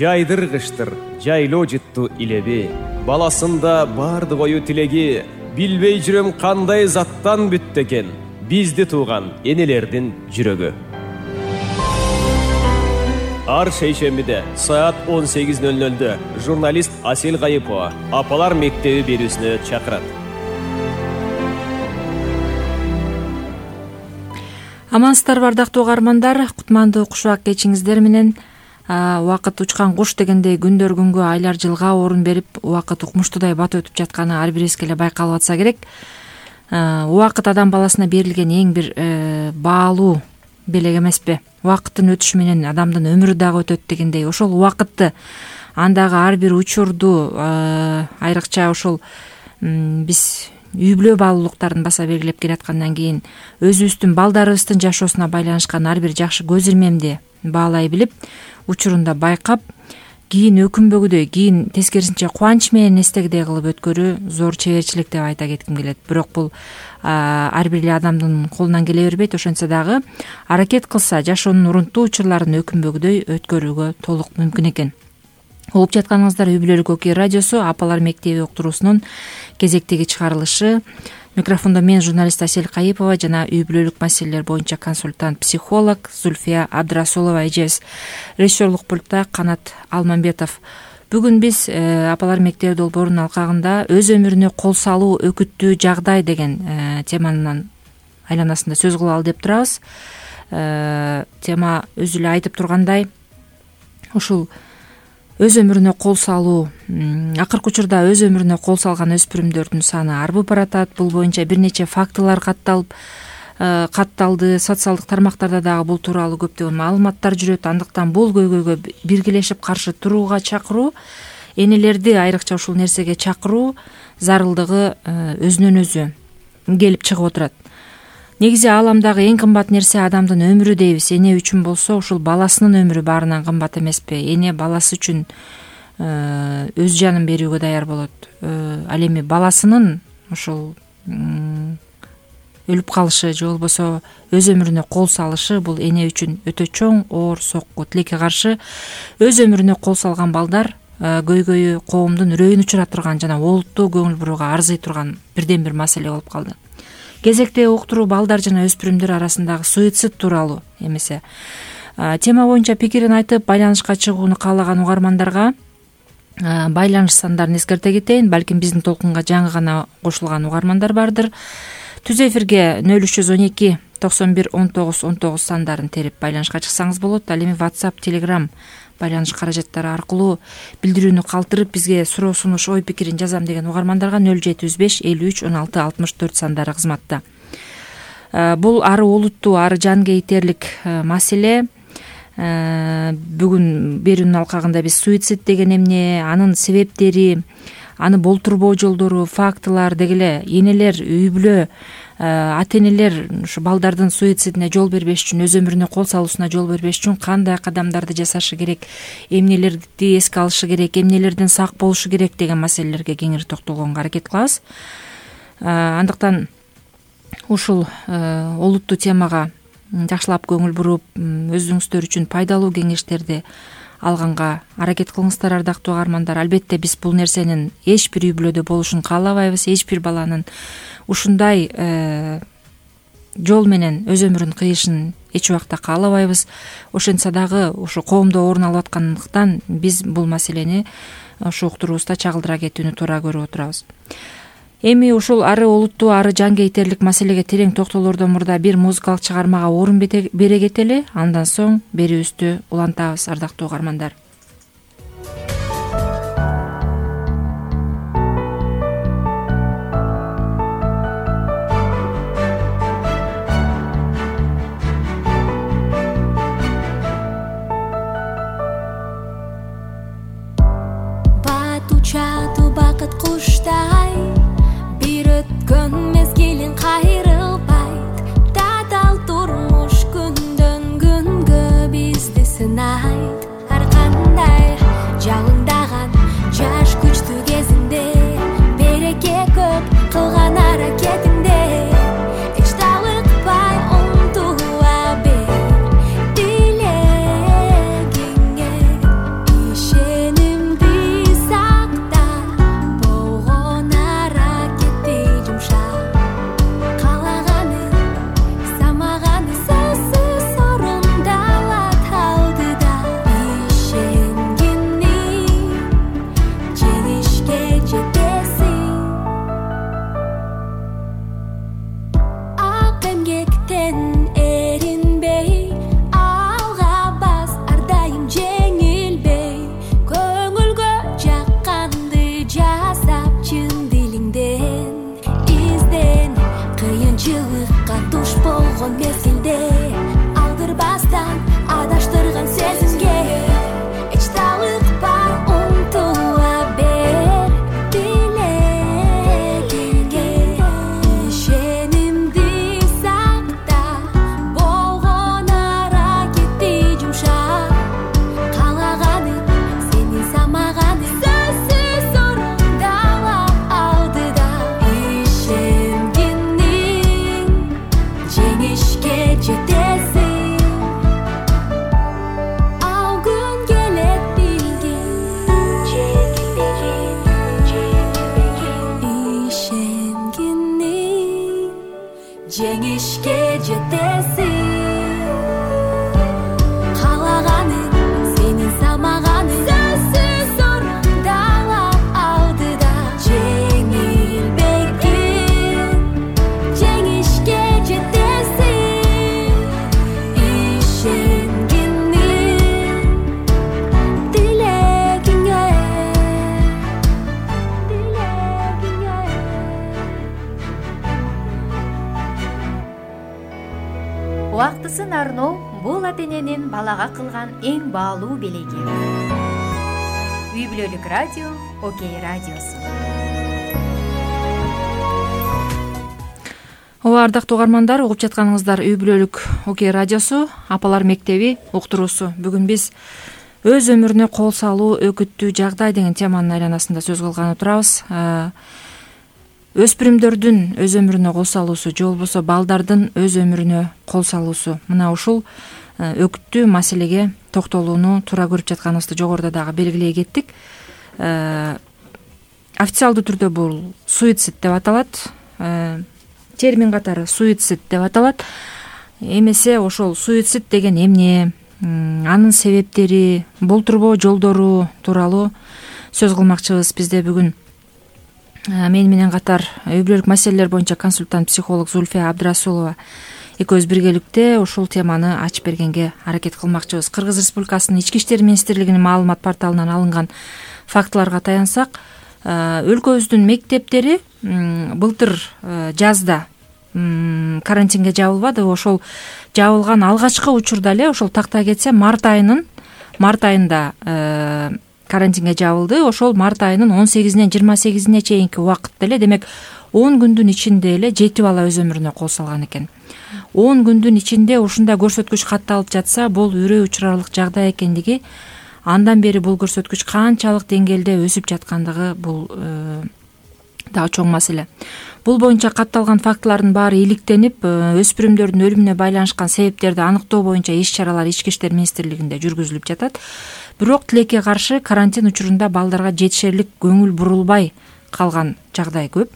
жайдыргычтыр, жайлоо жытту илеби. Баласында бардык ою тилеги, билбей жүрөм кандай заттан бүттү экен бизди тууган энелердин жүрөгү. Ар шейшембиде саат 18:00 журналист Асел Кайыпова Апалар мектеби берүүсүнө чакырат. Амансыздарбы ардактуу угармандар, кутмандуу кушак кечиңиздер менен. Убакыт учкан куш дегендей күндөр күнгө, айлар жылга орун берип, убакыт укмуштуудай батып өтүп жатканы ар бирибизге эле байкалып атса керек. Убакыт адам баласына берилген эң бир баалуу белек эмеспи? Убакыттын өтүшү менен адамдын өмүрү дагы өтөт дегендей, ошол убакытты, андагы ар бир учурду, айрыкча ошол биз үй бүлө баалуулуктарын баса белгилеп келаткандан кийин өзүбүздүн балдарыбыздын жашоосуна байланышкан ар бир жакшы көз ирмемди баалай билип, учурунда байкап, кийин өкүнбөгүдөй, кийин тескерисинче кубанч менен эстегидей кылып өткөрүү зор чеберчилик деп айта кетким келет. Бирок бул ар бир эле адамдын колунан келе бербейт. Ошентсе дагы аракет кылса, жашоонун урунттуу учурларын өкүнбөгүдөй өткөрүүгө толук мүмкүн экен. Угуп жатканыңыздар үй бүлөлүк Окей радиосу Апалар мектеби уктуруусунун кезектеги чыгарылышы. Микрофондо мен, журналист Асел Кайыпова жана үй бүлөлүк маселелер боюнча консультант психолог Зульфия Абдрасулова эжебиз. Режиссерлук пультта Канат Алмамбетов. Бүгүн биз Апалар мектеби долбоорунун алкагында өз өмүрүнө кол салуу өкүттүү жагдай деген теманын айланасында сөз кылалы деп турабыз. Тема өзү эле айтып тургандай, ушул өз өмүрүнө кол салуу, акыркы учурда өз өмүрүнө кол салган өспүрүмдөрдүн саны арбып баратат. Бул боюнча бир нече фактылар катталды. Социалдык тармактарда дагы бул тууралуу көптөгөн маалыматтар жүрөт. Андыктан бул көйгөйгө биргелешип каршы турууга чакыруу, энелерди айрыкча ушул нерсеге чакыруу зарылдыгы өзүнөн өзү келип чыгып отурат. Негизи ааламдагы эң кымбат нерсе адамдын өмүрү дейбиз. Эне үчүн болсо, ушул баласынын өмүрү баарынан кымбат эмеспи? Эне баласы үчүн өз жанын берүүгө даяр болот. Ал эми баласынын ушул өлүп калышы же болбосо өз өмүрүнө кол салышы бул эне үчүн өтө чоң оор сокку. Тилекке каршы өз өмүрүнө кол салган балдар көйгөйү коомдун үрөйүн учура турган жана олуттуу көңүл бурууга арзый турган бирден бир маселе болуп калды. Кезекте уктуруу балдар жана өспүрүмдөр арасындагы суицид тууралуу эмесе. Тема боюнча пикирин айтып, байланышка чыгууну каалаган угармандарга байланыш сандарын эскерте кетейин. Балким биздин толкунга жаңы гана кошулган угармандар бардыр. Түз эфирге 0312 91 19 19 сандарын терип байланышка чыксаңыз болот. Ал эми WhatsApp, Telegram байланыш каражаттары аркылуу билдирүүнү калтырып, бизге суроо, сунуш, ой пикирин жазам деген угармандарга 0755 53 16 64 сандары кызматта. Бул ары олуттуу, ары жан кейтерлик маселе. Бүгүн берүүнүн алкагында биз суицид деген эмне, анын себептери, аны болтурбоо жолдору, фактылар дегеле энелер, үй бүлө, ата-энелер ушу балдардын суицидине жол бербеш үчүн, өз өмүрүнө кол салуусуна жол бербеш үчүн кандай кадамдарды жасашы керек, эмнелерди эске алышы керек, эмнелерден сак болушу керек деген маселелерге кеңири токтолгонго аракет кылабыз. Андыктан ушул олуттуу темага жакшылап көңүл буруп, өзүңүздөр үчүн пайдалуу кеңештерди алганга аракет кылыңыздар, ардактуу угармандар. Албетте биз бул нерсенин эч бир үй бүлөдө болушун каалабайбыз. Эч бир баланын ушундай жол менен өз өмүрүн кыйышын эч убакта каалабайбыз. Ошентсе дагы ушу коомдо орун алып аткандыктан биз бул маселени ушу уктуруубузда чагылдыра кетүүнү туура көрүп отурабыз. Эми ушул ары олуттуу, ары жан кейтерлик маселеге терең токтолордон мурда бир музыкалык чыгармага орун бере кетели. Андан соң берүүбүздү улантабыз, ардактуу угармандар. Батучату бакыт куштай, бир өткөн мезгилин кайрылбайт. Татал турмуш күндөн күнгө бизди сынайт. Ар кандай жалындаган жаш күчтүү кезинде, береке көп кылган аракетиңде эч талыкпай умтула бер, тилегиңе ишен. жакшысын арноо бул ата эненин балага кылган эң баалуу белеги. Үй бүлөлүк радио Окей радиосу. Ооба, ардактуу угармандар, угуп жатканыңыздар Үй бүлөлүк Окей радиосу, апалар мектеби уктуруусу. Бүгүн биз өз өмүрүнө кол салуу өкүттүү жагдай деген теманын айланасында сөз кылганы турабыз. Өспүрүмдөрдүн өз өмүрүнө кол салуусу же болбосо балдардын өз өмүрүнө кол салуусу, мына ушул өкүттүү маселеге токтолууну туура көрүп жатканыбызды жогоруда дагы белгилей кеттик. Официалдуу түрдө бул суицид деп аталат. Термин катары суицид деп аталат. Эмесе ошол суицид деген эмне, анын себептери, болтурбоо жолдору тууралуу сөз кылмакчыбыз. Бизде бүгүн мен менен катар үй бүлөлүк маселелер боюнча консультант психолог Зульфия Абдрасулова экөөбүз биргеликте ушул теманы ачып бергенге аракет кылмакчыбыз. Кыргыз Республикасынын Ички иштер министрлигинин маалымат порталынан алынган фактыларга таянсак, өлкөбүздүн мектептери былтыр жазда карантинге жабылбады. Ошол жабылган алгачкы учурда эле, ошол тактай кетсе, март айында карантинге жабылды. Ошол март айынын 18-нен 28-ине чейинки убакытта эле, демек 10 күндүн ичинде эле 7 бала өз өмүрүнө кол салган экен. 10 күндүн ичинде ушундай көрсөткүч катталып жатса, бул үрөй учурарлык жагдай экендиги, андан бери бул көрсөткүч канчалык деңгээлде өсүп жаткандыгы бул дагы чоң маселе. Бул боюнча катталган фактылардын баары иликтенип, өспүрүмдөрдүн өлүмүнө байланышкан себептерди аныктоо боюнча иш-чаралар Ички иштер министрлигинде жүргүзүлүп жатат. Бирок тилекке каршы карантин учурунда балдарга жетишерлик көңүл бурулбай калган жагдай көп.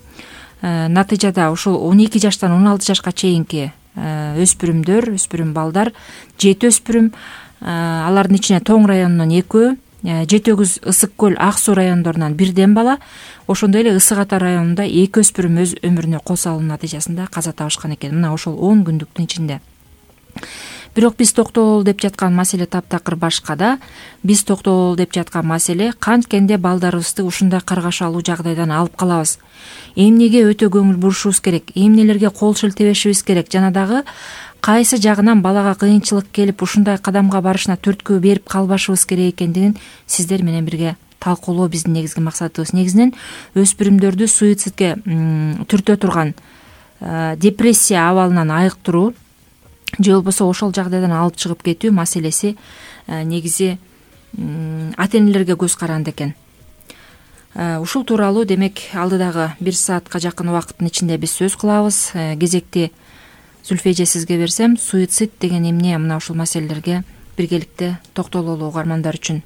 Натыйжада ушул 12 жаштан 16 жашка чейинки өспүрүм балдар, 7 өспүрүм, алардын ичине Тоң районунан 2, Жетөгүз, Ысык көл, Ак суу райондорунан 1 бала, ошондой эле Ысык Ата районунда 2 өспүрүм өз өмүрүнө кол салуунун натыйжасында каза табышкан экен. Мына ошол 10 күндүктүн ичинде. Бирок биз токтололу деп жаткан маселе таптакыр башкада. Биз токтололу деп жаткан маселе канткенде балдарыбызды ушундай каргашалуу жагдайдан алып калабыз. Эмнеге өтө көңүл бурушубуз керек, эмнелерге кол шилтебешибиз керек, жана дагы кайсы жагынан балага кыйынчылык келип ушундай кадамга барышына түрткү берип калбашыбыз керек экендигин сиздер менен бирге талкуулоо биздин негизги максатыбыз. Негизинен өспүрүмдөрдү суицидке түртө турган депрессия абалынан айыктыруу же болбосо ошол жагдайдан алып чыгып кетүү маселеси негизи ата энелерге көз каранды экен. Ушул тууралуу демек алдыдагы 1 саатка жакын убакыттын ичинде биз сөз кылабыз. Кезекти Зульфия эже сизге берсем, суицид деген эмне, мына ушул маселелерге биргеликте токтололу угармандар үчүн.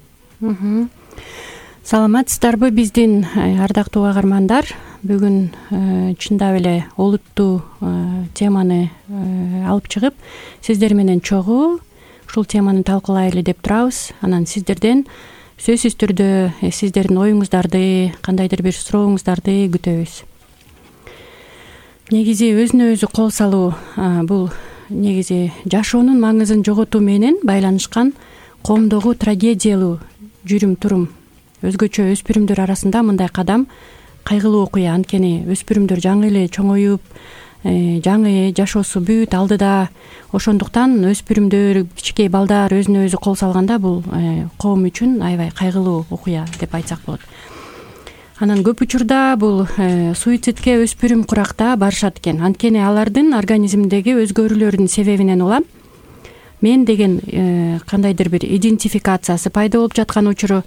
Саламатсыздарбы биздин ардактуу угармандар? Бүгүн чындап эле олуттуу теманы алып чыгып, сиздер менен чогуу ушул теманы талкуулайлы деп турабыз. Анан сиздерден сөзсүз түрдө сиздердин оюңуздарды, кандайдыр бир сурооңуздарды күтөбүз. Негизи өзүнө өзү кол салуу бул негизи жашоонун маңызын жоготуу менен байланышкан коомдогу трагедиялуу жүрүм-турум. Өзгөчө өспүрүмдөр арасында мындай кадам кайгылуу окуя. Анткени өспүрүмдөр жаңы эле чоңоюп, жаңы жашоосу бүт алдыда. Ошондуктан өспүрүмдөр, кичинекей балдар өзүнө өзү кол салганда бул коом үчүн аябай кайгылуу окуя деп айтсак болот. Анан көп учурда бул суицидке өспүрүм куракта барышат экен. Анткени алардын организминдеги өзгөрүүлөрдүн себебинен улам мен деген кандайдыр бир идентификациясы пайда болуп жаткан учуру.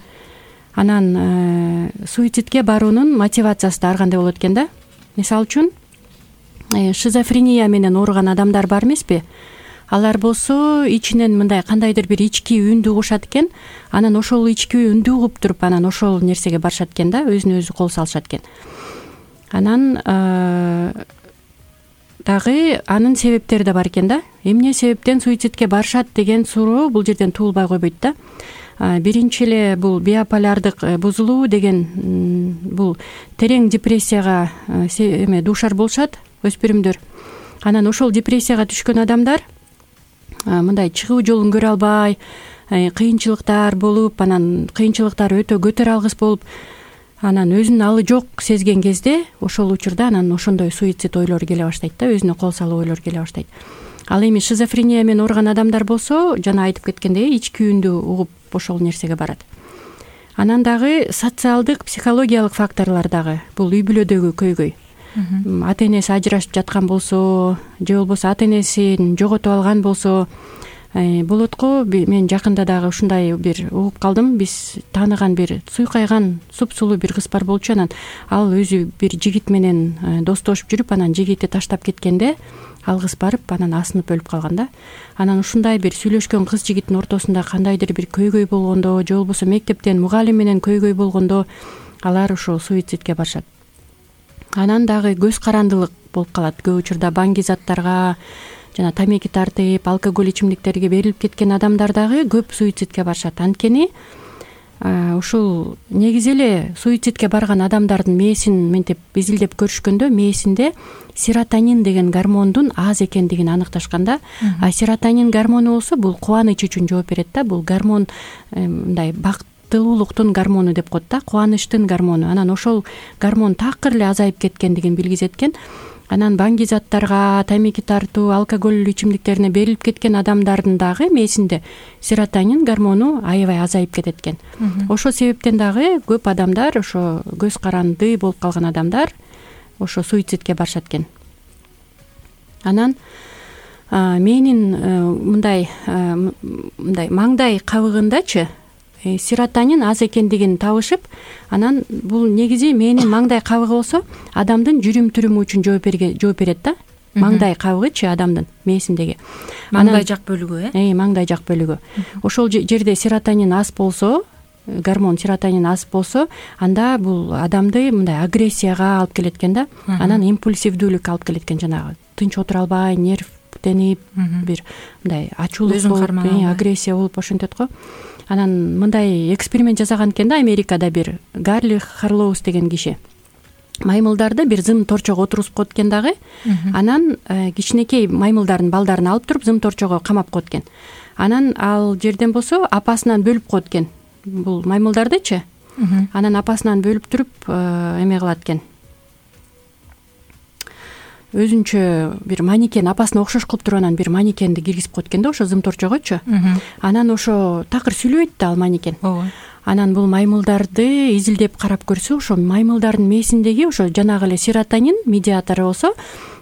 Анан суицидке баруунун мотивациясы да ар кандай болот экен да. Мисалы үчүн шизофрения менен ооруган адамдар бар эмеспи? Алар болсо ичинен мындай кандайдыр бир ички үндү угушат экен. Анан ошол ички үндү угуп туруп, анан ошол нерсеге барышат экен да, өзүнө өзү кол салышат экен. Анан дагы анын себептери да бар экен да. Эмне себептен суицидке барышат деген суроо бул жерден туулбай койбойт да. Биринчи эле бул биополярдык бузулуу деген бул терең депрессияга дуушар болушат өспүрүмдөр. Анан ошол депрессияга түшкөн адамдар мындай чыгуу жолун көрө албай, кыйынчылыктар болуп, анан кыйынчылыктар өтө көтөрө алгыс болуп, анан өзүнүн алы жок сезген кезде ошол учурда анан ошондой суицид ойлору келе баштайт да, өзүнө кол салуу ойлору келе баштайт. ал эми шизофрения менен ооруган адамдар болсо жана айтып кеткендей ички үндү угуп ошол нерсеге барат. Анан дагы социалдык психологиялык факторлор дагы бул үй бүлөдөгү көйгөй. Ата энеси ажырашып жаткан болсо же болбосо ата энесин жоготуп алган болсо болот го. Мен жакында дагы ушундай бир угуп калдым. Биз тааныган бир суйкайган супсулуу бир кыз бар болчу. Анан ал өзү бир жигит менен достошуп жүрүп, анан жигити таштап кеткенде ал кыз барып анан асынып өлүп калган да. Анан ушундай бир сүйлөшкөн кыз жигиттин ортосунда кандайдыр бир көйгөй болгондо же болбосо мектептен мугалим менен көйгөй болгондо алар ушул суицидке барышат. Анан дагы көз карандылык болуп калат. Көп учурда баңги заттарга жана тамеки тартып, алкоголь ичимдиктерге берилип кеткен адамдар дагы көп суицидке барышат. Анткени ушул негизи эле суицидке барган адамдардын мээсин мынтип изилдеп көрүшкөндө мээсинде серотонин деген гормондун аз экендигин аныкташканда. Серотонин гормону болсо бул кубаныч үчүн жооп берет да. Бул гормон мындай бактылуулуктун гормону деп коет да, кубанычтын гормону. Анан ошол гормон такыр эле азайып кеткендигин билгизеткен. Анан баңги заттарга, тамеки тартуу, алкоголь ичимдиктерине берилип кеткен адамдардын дагы мээсинде серотонин гормону аябай азайып кетет экен. Ошол себептен дагы көп адамдар, ошо көз каранды болуп калган адамдар ошо суицидке барышат экен. Анан менин мындай маңдай кабыгындачы серотонин аз экендигин табышып, анан бул негизи мээнин маңдай кабыгы болсо адамдын жүрүм туруму үчүн жооп берет да. Маңдай кабыгычы адамдын мээсиндеги. Маңдай жак бөлүгү, маңдай жак бөлүгү. Ошол жерде серотонин аз болсо, гормон серотонин аз болсо, анда бул адамды мындай агрессияга алып келет экен да. Анан импульсивдүүлүккө алып келет экен, жанагы тынч отура албай, нервденип, бир мындай ачуулук болуп, агрессия болуп ошентет го. Анан мындай эксперимент жасаган экен да Америкада бир Гарли Харлоус деген киши. Маймылдарды бир зым торчого отургузуп коет экен дагы. Анан кичинекей маймылдардын балдарын алып туруп зым торчого камап коет экен. Анан ал жерден болсо апасынан бөлүп коет экен. Бул маймылдардычы. Анан апасынан бөлүп туруп эме кылат экен. Өзүнчө бир манекен, апасына окшош кылып туруп анан бир манекенди киргизип коет экен да ошо зым торчогочу. Анан ошо такыр сүйлөбөйт да ал манекен. Анан бул маймылдарды изилдеп карап көрсө, ошо маймылдардын мээсиндеги ошо жанагы эле серотонин медиатору болсо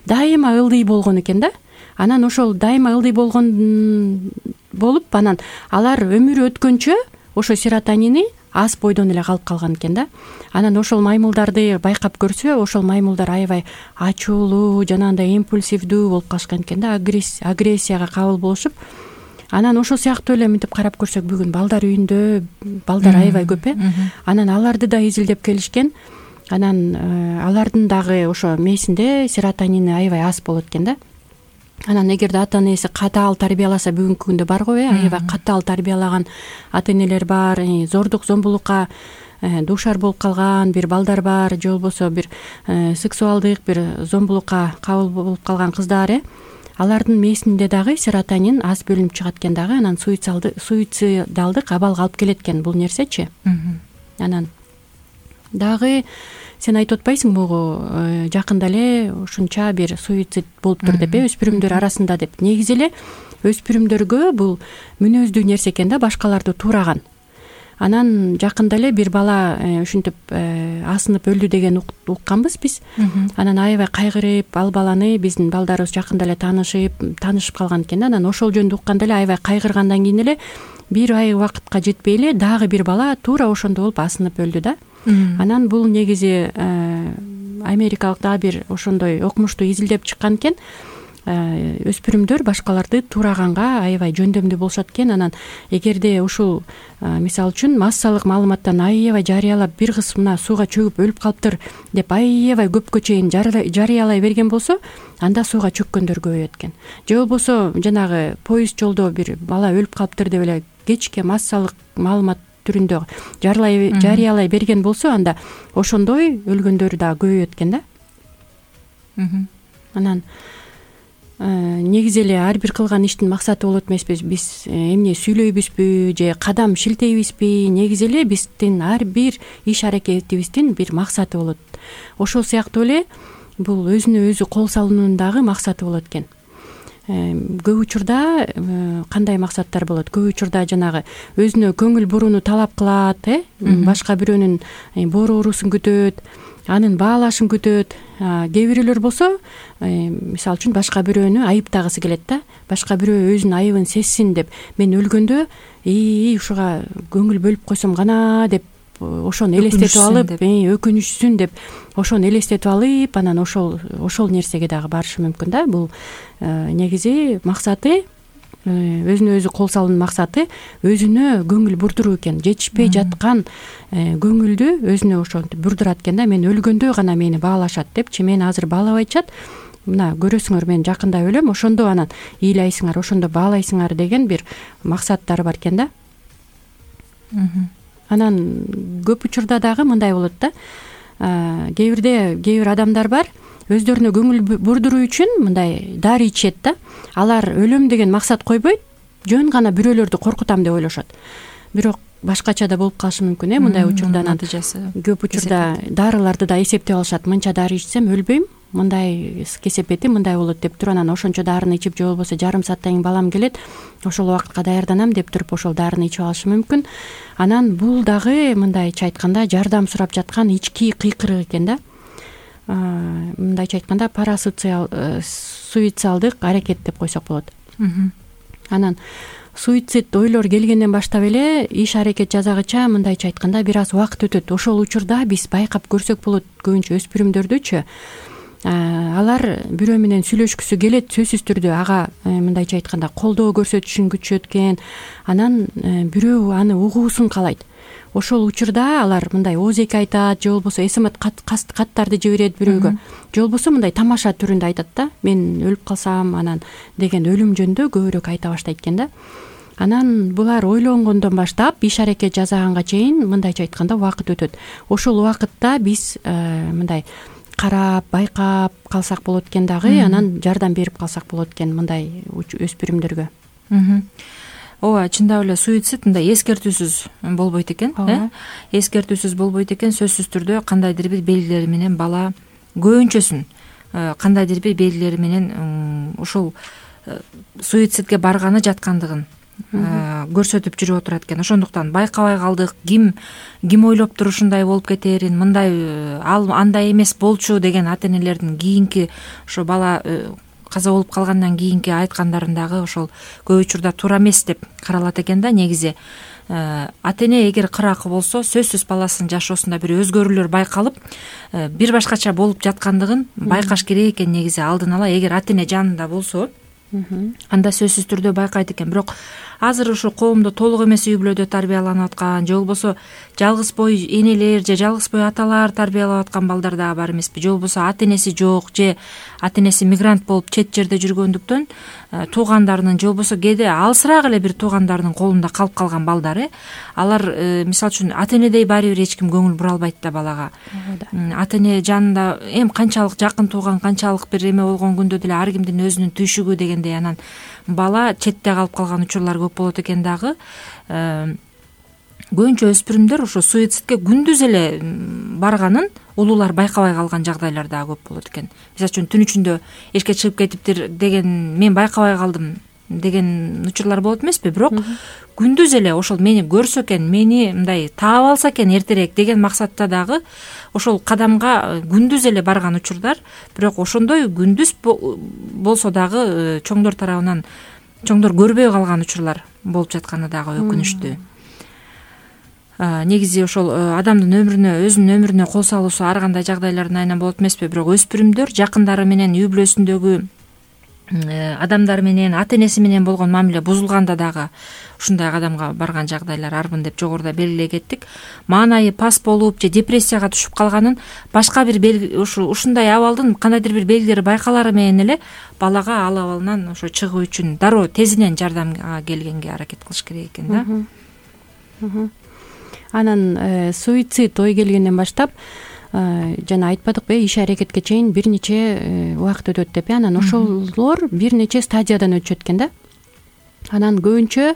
дайыма ылдый болгон экен да. Анан ошол дайыма ылдый болгон болуп, анан алар өмүрү өткөнчө ошо серотонини аз бойдон эле калып калган экен да. Анан ошол маймылдарды байкап көрсө, ошол маймылдар аябай ачуулуу, жанагындай импульсивдүү болуп калышкан экен да, агрессияга кабыл болушуп. Анан ошол сыяктуу эле мынтип карап көрсөк, бүгүн балдар үйүндө балдар аябай көп Анан аларды да изилдеп келишкен. Анан алардын дагы ошо мээсинде серотонини аябай аз болот экен да. Анан эгерде ата энеси катаал тарбияласа, бүгүнкү күндө бар го, аябай катаал тарбиялаган ата энелер бар, зордук зомбулукка дуушар болуп калган бир балдар бар, же болбосо бир сексуалдык бир зомбулукка кабыл болуп калган кыздар, алардын мээсинде дагы серотонин аз бөлүнүп чыгат экен дагы. Анан суицидалдык абалга алып келет экен бул нерсечи. Анан дагы сен айтып атпайсың могу жакында эле ушунча бир суицид болуп тур деп, өспүрүмдөр арасында деп. Негизи эле өспүрүмдөргө бул мүнөздүү нерсе экен да, башкаларды туураган. Анан жакында эле бир бала ушинтип асынып өлдү деген укканбыз биз. Анан аябай кайгырып, ал баланы биздин балдарыбыз жакында эле таанышып калган экен да. Анан ошол жөнүндө укканда эле аябай кайгыргандан кийин эле бир ай убакытка жетпей эле дагы бир бала туура ошондой болуп асынып өлдү да. Анан бул негизи америкалык дагы бир ошондой окумушту изилдеп чыккан экен. Өспүрүмдөр башкаларды тураганга аябай жөндөмдүү болушат экен. Анан эгерде ушул мисалы үчүн массалык маалыматтан аябай жарыялап, бир кыз мына сууга чөгүп өлүп калыптыр деп аябай көпкө чейин жарыялай берген болсо, анда сууга чөккөндөр көбөйөт экен. Же болбосо жанагы поезд жолдо бир бала өлүп калыптыр деп эле кечке массалык маалымат түрүндө жарыялай берген болсо, анда ошондой өлгөндөр да көбөйөт экен да. Анан негизи эле ар бир кылган иштин максаты болот эмеспи, биз эмне сүйлөйбүзбү же кадам шилтейбизби, негизи эле биздин ар бир иш аракетибиздин бир максаты болот. Ошол сыяктуу эле бул өзүнө өзү кол салуунун дагы максаты болот экен. көп учурда кандай максаттар болот? Көп учурда жанагы өзүнө көңүл бурууну талап кылат, башка бирөөнүн боорусун күтөт, анын баалашын күтөт. Кээ бирөөлөр болсо мисалы үчүн башка бирөөнү айыптагысы келет да. Башка бирөө өзүнүн айыбын сезсин деп, мен өлгөндө ушуга көңүл бөлүп койсом гана деп ошону элестетип алып, өкүнүшсүн деп ошону элестетип алып, анан ошол нерсеге дагы барышы мүмкүн да. Бул негизи максаты, өзүнө өзү кол салуунун максаты өзүнө көңүл бурдуруу экен. Жетишпей жаткан көңүлдү өзүнө ошентип бурдурат экен да. Мен өлгөндө гана мени баалашат депчи, мени азыр баалабайчат. Мына көрөсүңөр, мен жакында өлөм, ошондо анан ыйлайсыңар, ошондо баалайсыңар деген бир максаттары бар экен да. Анан көп учурда дагы мындай болот да. Кээ бир адамдар бар, өздөрүнө көңүл бурдуруу үчүн мындай дары ичет да. Алар өлөм деген максат койбойт, жөн гана бирөөлөрдү коркутам деп ойлошот. Бирок башкача да болуп калышы мүмкүн, мындай учурда. Натыйжасы көп учурда дарыларды да эсептеп алышат. Мынча дары ичсем өлбөйм, мындай кесепети мындай болот деп туруп, анан ошончо дарыны ичип, же болбосо жарым сааттан кийин балам келет, ошол убакытка даярданам деп туруп ошол дарыны ичип алышы мүмкүн. Анан бул дагы мындайча айтканда жардам сурап жаткан ички кыйкырык экен да. Мындайча айтканда суицидалдык аракет деп койсок болот. Анан суицид ойлор келгенден баштап эле иш аракет жасагыча мындайча айтканда бир аз убакыт өтөт. Ошол учурда биз байкап көрсөк болот, көбүнчө өспүрүмдөрдүчү. Алар бирөө менен сүйлөшкүсү келет, сөзсүз түрдө ага мындайча айтканда колдоо көрсөтүшүн күтүшөт экен. Анан бирөө аны угуусун каалайт. Ошол учурда алар мындай ооз-эки айтат, же болбосо смс каттарды жиберет бирөөгө, же болбосо мындай тамаша түрүндө айтат да. Мен өлүп калсам анан деген өлүм жөнүндө көбүрөөк айта баштайт экен да. Анан булар ойлонгондон баштап иш аракет жасаганга чейин мындайча айтканда убакыт өтөт. Ошол убакытта биз мындай карап, байкап калсак болот экен дагы, анан жардам берип калсак болот экен мындай өспүрүмдөргө. Ооба, чындап эле суицид мындай эскертүүсүз болбойт экен, эскертүүсүз болбойт экен. Сөзсүз түрдө кандайдыр бир белгилери менен бала көбүнчөсүн кандайдыр бир белгилери менен ушул суицидке барганы жаткандыгын көрсөтүп жүрүп отурат экен. Ошондуктан байкабай калдык, ким ойлоптур ушундай болуп кетерин, мындай ал андай эмес болчу деген ата энелердин кийинки ошо бала каза болуп калгандан кийинки айткандарын дагы ошол көп учурда туура эмес деп каралат экен да. Негизи ата эне эгер кыракы болсо, сөзсүз баласынын жашоосунда бир өзгөрүүлөр байкалып, бир башкача болуп жаткандыгын байкаш керек экен негизи алдын ала. Эгер ата эне жанында болсо, анда сөзсүз түрдө байкайт экен. Бирок азыр ушу коомдо толук эмес үй бүлөдө тарбияланып аткан, же болбосо жалгыз бой энелер же жалгыз бой аталар тарбиялап аткан балдар дагы бар эмеспи, же болбосо ата энеси жок, же ата энеси мигрант болуп чет жерде жүргөндүктөн туугандарынын, же болбосо кээде алысыраак эле бир туугандарынын колунда калып калган балдар. Алар мисалы үчүн ата энедей баары бир эч ким көңүл бура албайт да балага. Ата эне жанында канчалык жакын тууган, канчалык бир эме болгон күндө деле ар кимдин өзүнүн түйшүгү дегендей, анан бала четте калып калган учурлар көп болот экен дагы. Көбүнчө өспүрүмдөр ошо суицидке күндүз эле барганын улуулар байкабай калган жагдайлар дагы көп болот экен. Мисалы үчүн түн ичинде эшикке чыгып кетиптир деген, мен байкабай калдым деген учурлар болот эмеспи. Бирок күндүз эле ошол мени көрсө экен, мени мындай таап алса экен эртерээк деген максатта дагы ошол кадамга күндүз эле барган учурдар. Бирок ошондой күндүз болсо дагы чоңдор тарабынан чоңдор көрбөй калган учурлар болуп жатканы дагы өкүнүчтүү. Негизи ошол адамдын өмүрүнө, өзүнүн өмүрүнө кол салуусу ар кандай жагдайлардын айынан болот эмеспи. Бирок өспүрүмдөр жакындары менен, үй бүлөсүндөгү адамдар менен, ата энеси менен болгон мамиле бузулганда дагы ушундай кадамга барган жагдайлар арбын деп жогоруда белгилей кеттик. Маанайы пас болуп же депрессияга түшүп калганын башка бир ушундай абалдын кандайдыр бир белгилери байкалары менен эле балага ал абалынан ошо чыгуу үчүн дароо тезинен жардамга келгенге аракет кылыш керек экен да. Анан суицид ой келгенден баштап жана айтпадыкпы, иш аракетке чейин бир нече убакыт өтөт деп. Анан ошолор бир нече стадиядан өтүшөт экен да. Анан көбүнчө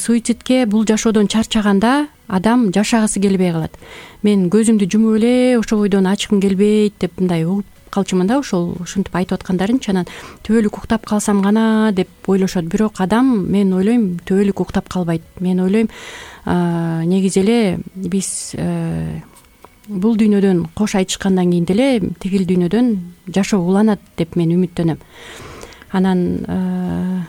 суицидке бул жашоодон чарчаганда адам жашагысы келбей калат. Мен көзүмдү жумуп эле ошо бойдон ачкым келбейт деп мындай угуп калчумун да ушинтип айтып аткандарынчы. Анан түбөлүк уктап калсам гана деп ойлошот. Бирок адам, мен ойлойм, түбөлүк уктап калбайт. Мен ойлойм, негизи эле биз бул дүйнөдөн кош айтышкандан кийин деле тигил дүйнөдөн жашоо уланат деп мен үмүттөнөм. Анан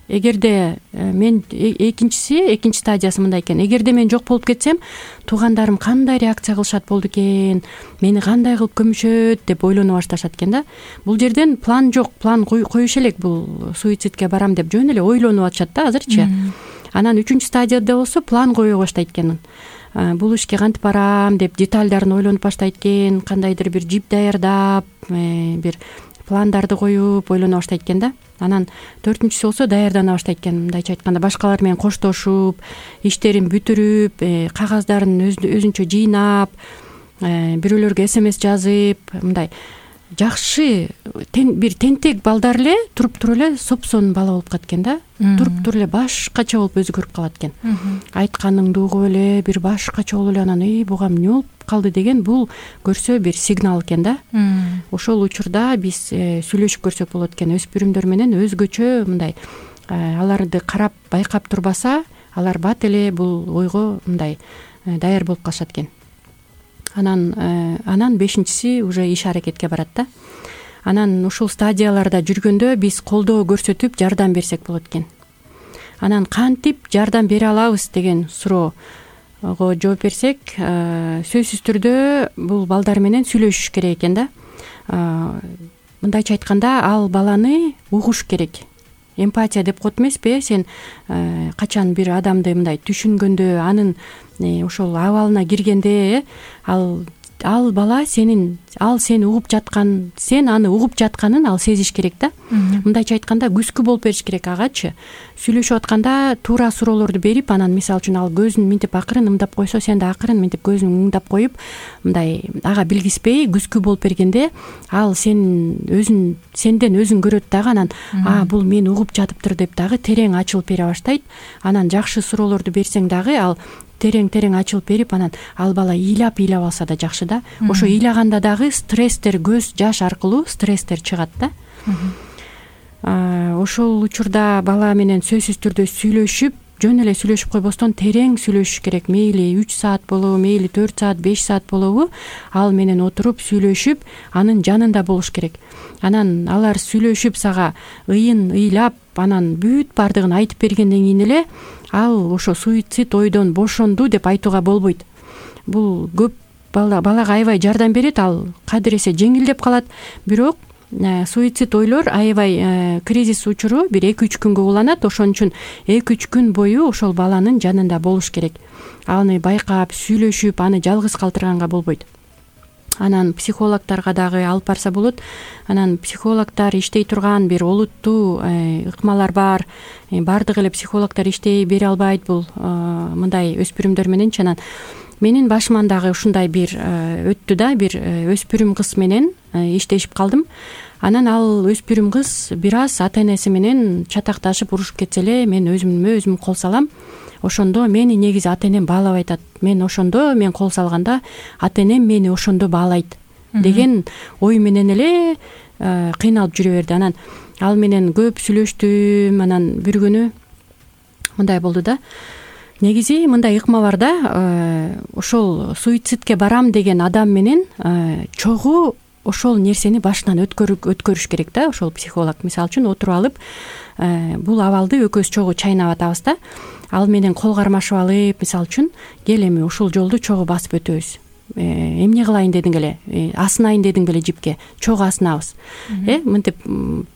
эгерде мен экинчи стадиясы мындай экен. Эгерде мен жок болуп кетсем, туугандарым кандай реакция кылышат болду экен, мени кандай кылып көмүшөт деп ойлоно башташат экен да. Бул жерден план жок, план коюш элек, бул суицидке барам деп жөн эле ойлонуп атышат да азырчы. Анан 3-стадияда болсо план кое баштайт экен. Бул ишке кантип барам деп детальдарын ойлонуп баштайт экен, кандайдыр бир жип даярдап, бир пландарды коюп ойлоно баштайт экен да. Анан 4-чүсү болсо даярдана баштайт экен. Мындайча айтканда, башкалар менен коштошуп, иштерин бүтүрүп, кагаздарын өзүнчө жыйнап, бирөөлөргө СМС жазып, мындай жакшы бир тентек балдар эле туруп эле сопсон бала болуп калат экен да. Туруп эле башкача болуп өзгөрүп калат экен. Айтканыңды угуп эле бир башкача болуп эле, анан буга эмне болуп калды деген бул көрсө бир сигнал экен да. Ошол учурда биз сүйлөшүп көрсөк болот экен. Өспүрүмдөр менен өзгөчө мындай аларды карап байкап турбаса, алар бат эле бул ойго мындай даяр болуп калышат экен. Анан 5-чиси уже иш аракетке барат да. Анан ушул стадияларда жүргөндө биз колдоо көрсөтүп жардам берсек болот экен. Анан кантип жардам бере алабыз деген суроого жооп берсек, сөзсүз түрдө бул балдар менен сүйлөшүш керек экен да. Мындайча айтканда, ал баланы угуш керек. Эмпатия деп коет эмеспи? Сен качан бир адамды мындай түшүнгөндө, анын ошол абалына киргенде, ал бала ал сени угуп жаткан, сен аны угуп жатканын ал сезиш керек да. Мындайча айтканда, күзгү болуп бериш керек агачы. Сүйлөшүп атканда туура суроолорду берип, анан мисалы үчүн ал көзүн минтип акырын ымдап койсо, сен да акырын минтип көзүн ымдап коюп, мындай ага билгиспей күзгү болуп бергенде, ал сенден өзүн көрөт дагы, анан бул мени угуп жатыптыр деп дагы терең ачылып бере баштайт. Анан жакшы суроолорду берсең дагы ал терең ачылып берип, анан ал бала ыйлап алса да жакшы да. Ошо ыйлаганда дагы стресстер, көз жаш аркылуу стресстер чыгат да. Ошол учурда бала менен сөзсүз түрдө сүйлөшүп, жөн эле сүйлөшүп койбостон терең сүйлөшүш керек. Мейли 3 саат болобу, мейли 4 саат, 5 саат болобу, ал менен отуруп сүйлөшүп, анын жанында болуш керек. Анан алар сүйлөшүп сага ыйлап, анан бүт бардыгын айтып бергенден кийин эле ал ошо суицид ойдон бошонду деп айтууга болбойт. Бул көп балага аябай жардам берет, ал кадыр эсе жеңилдеп калат. Бирок суицид ойлор аябай кризис учуру бир 2-3 күнгө уланат. Ошон үчүн 2-3 күн бою ошол баланын жанында болуш керек. Аны байкап, сүйлөшүп, аны жалгыз калтырганга болбойт. Анан психологторго дагы алып барса болот. Анан психологдор иштей турган бир олуттуу ыкмалар бар. Бардык эле психологдор иштей бере албайт бул мындай өспүрүмдөр мененчи. Анан менин башыман дагы ушундай бир өттү да, бир өспүрүм кыз менен иштешип калдым. Анан ал өспүрүм кыз бир аз ата энеси менен чатакташып урушуп кетсе эле, мен өзүм кол салам. Ошондо мени негизи ата энем баалап айтат. Мен кол салганда ата энем мени ошондо баалайт деген ой менен эле кыйналып жүрө берди. Анан ал менен көп сүйлөштүм. Анан бир күнү мындай болду да. Негизи мындай ыкма бар да, ошол суицидке барам деген адам менен чогуу ошол нерсени башынан өткөрүш керек да. Ошол психолог мисалы үчүн отуруп алып, бул абалды экөөбүз чогуу чайнап атабыз да. Ал менен кол кармашып алып, мисалы үчүн, кел эми ушул жолду чогуу басып өтөбүз. Эмне кылайын дедиң эле, асынайын дедиң беле жипке, чогуу асынабыз. Мынтип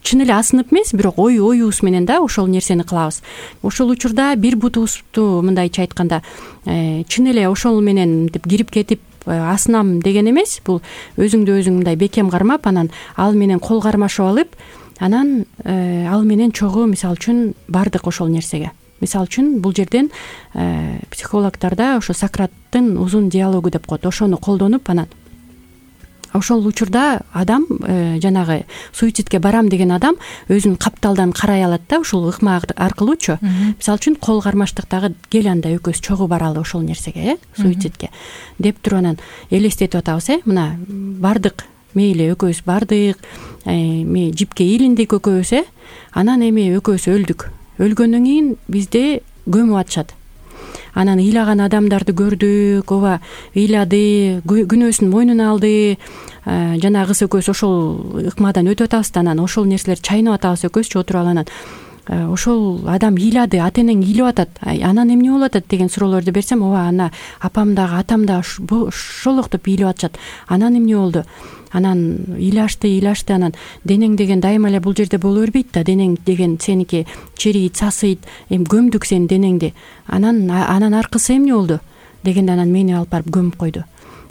чын эле асынып эмес, бирок оюбуз менен да ошол нерсени кылабыз. Ошол учурда бир бутубузду мындайча айтканда чын эле ошол менен мынтип кирип кетип асынам деген эмес. Бул өзүңдү өзүң мындай бекем кармап, анан ал менен кол кармашып алып, анан ал менен чогуу мисалы үчүн бардык ошол нерсеге. Мисалы үчүн бул жерден психологдорда ошо Сократтын узун диалогу деп коет. Ошону колдонуп, анан ошол учурда адам жанагы суицидке барам деген адам өзүн капталдан карай алат да, ушул ыкма аркылуучу. Мисалы үчүн кол кармаштык дагы, кел анда экөөбүз чогуу баралы ошол нерсеге, суицидке деп туруп анан элестетип атабыз. Мына бардык мейли экөөбүз бардык, эми жипке илиндик экөөбүз, анан эми экөөбүз өлгөндөн кийин бизди көмүп атышат. Анан ыйлаган адамдарды көрдүк, ооба ыйлады, күнөөсүн мойнуна алды. Жанагы кыз экөөбүз ошол ыкмадан өтүп атабыз да, анан ошол нерселерди чайнап атабыз экөөбүзчү отуруп алып, анан ошол адам ыйлады, ата энең ыйлап атат, анан эмне болуп атат деген суроолорду берсем, ооба ана апам дагы атам дагы ошолоктоп ыйлап атышат. Анан эмне болду? Анан ыйлашты, анан денең деген дайыма эле бул жерде боло бербейт да, денең деген сеники чирийт, сасыйт, эми көмдүк сенин денеңди. Анан аркысы эмне болду дегенде, анан мени алып барып көмүп койду.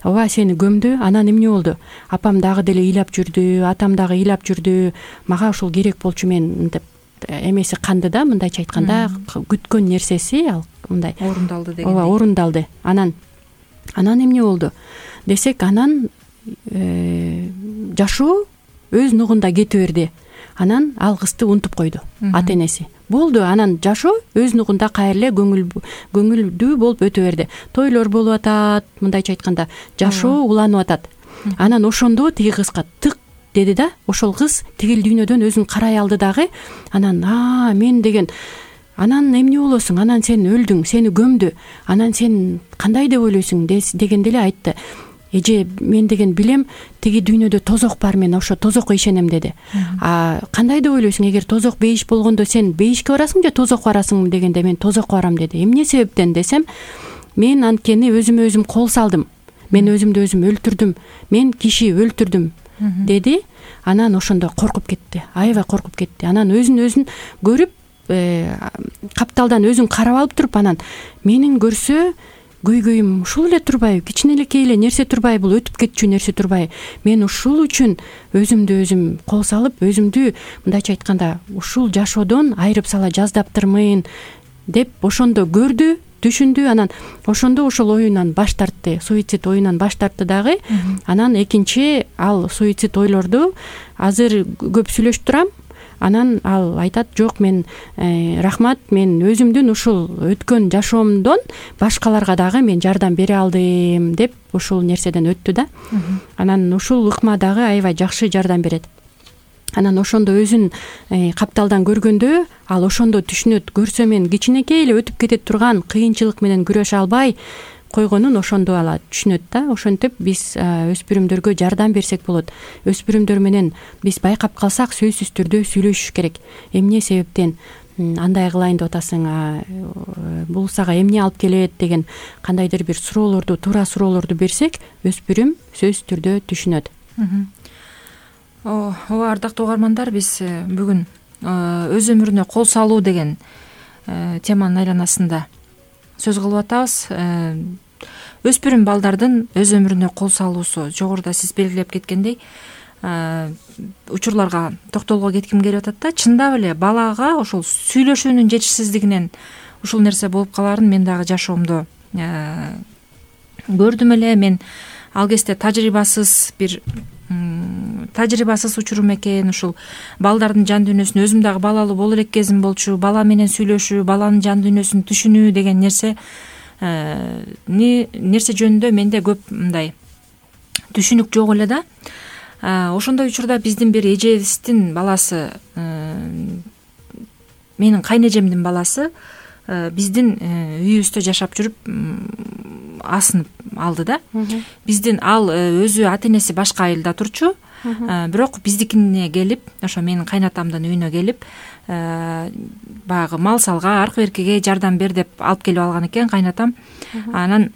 Ооба, сени көмдү, анан эмне болду? Апам дагы деле ыйлап жүрдү, атам дагы ыйлап жүрдү, мага ушул керек болчу, мен мынтип эмеси канды да, мындайча айтканда күткөн нерсеси ал мындай орундалды деген. Ооба, орундалды. Анан эмне болду десек, анан жашоо өз нугунда кете берди. Анан ал кызды унутуп койду ата энеси. Болду, анан жашоо өз нугунда кайра эле көңүлдүү болуп өтө берди. Тойлор болуп атат, мындайча айтканда жашоо уланып атат. Анан ошондо тиги кызга тык деди да, ошол кыз тигил дүйнөдөн өзүн карай алды дагы. Анан мен деген, анан эмне болосуң, анан сен өлдүң, сени көмдү, анан сен кандай деп ойлойсуң дегенде эле айтты. Эже, мен деген билем, тиги дүйнөдө тозок бар, мен ошо тозокко ишенем деди. Кандай деп ойлойсуң, эгер тозок бейиш болгондо сен бейишке барасың же тозокко барасың дегенде, мен тозокко барам деди. Эмне себептен десем, мен анткени өзүм кол салдым, мен өзүмдү өзүм өлтүрдүм, мен киши өлтүрдүм деди. Анан ошондо коркуп кетти, аябай коркуп кетти. Анан өзүн көрүп, капталдан өзүн карап алып туруп, анан менин көрсө көйгөйүм ушул эле турбайбы, кичинелекей эле нерсе турбайбы, бул өтүп кетчү нерсе турбайбы, мен ушул үчүн өзүмдү өзүм кол салып, өзүмдү мындайча айтканда ушул жашоодон айырып сала жаздаптырмын деп ошондо көрдү, түшүндү. Анан ошондо ошол оюнан баш тартты, суицид оюнан баш тартты дагы. Анан экинчи ал суицид ойлорду азыр көп сүйлөшүп турам. Анан ал айтат, жок, мен рахмат, мен өзүмдүн ушул өткөн жашоомдон башкаларга дагы мен жардам бере алдым деп ушул нерседен өттү да. Анан ушул ыкма дагы аябай жакшы жардам берет. Анан ошондо өзүн капталдан көргөндө ал ошондо түшүнөт, көрсө мен кичинекей эле өтүп кете турган кыйынчылык менен күрөшө албай койгонун ошондо ала түшүнөт да. Ошентип биз өспүрүмдөргө жардам берсек болот. Өспүрүмдөр менен биз байкап калсак сөзсүз түрдө сүйлөшүш керек. Эмне себептен андай кылайын деп атасың, бул сага эмне алып келет деген кандайдыр бир суроолорду, туура суроолорду берсек, өспүрүм сөзсүз түрдө түшүнөт. Ооба, ардактуу угармандар, биз бүгүн өз өмүрүнө кол салуу деген теманын айланасында сөз кылып атабыз. Өспүрүм балдардын өз өмүрүнө кол салуусу, жогоруда сиз белгилеп кеткендей, учурларга токтолго кетким келип атат да. Чындап эле балага ошол сүйлөшүүнүн жетишсиздигинен ушул нерсе болуп калаарын мен дагы жашоомдо көрдүм эле. Мен ал кезде тажрыйбасыз учурум экен. Ушул балдардын жан дүйнөсүн, өзүм дагы балалуу боло элек кезим болчу, бала менен сүйлөшүү, баланын жан дүйнөсүн түшүнүү деген нерсе жөнүндө менде көп мындай түшүнүк жок эле да. Ошондой учурда биздин бир эжебиздин баласы, менин кайнэжемдин баласы биздин үйүбүздө жашап жүрүп асынып алды да. Биздин ал өзү ата энеси башка айылда турчу, бирок биздикине келип, ошо менин кайнатамдын үйүнө келип, баягы мал салга, аркы беркиге жардам бер деп алып келип алган экен кайнатам. Анан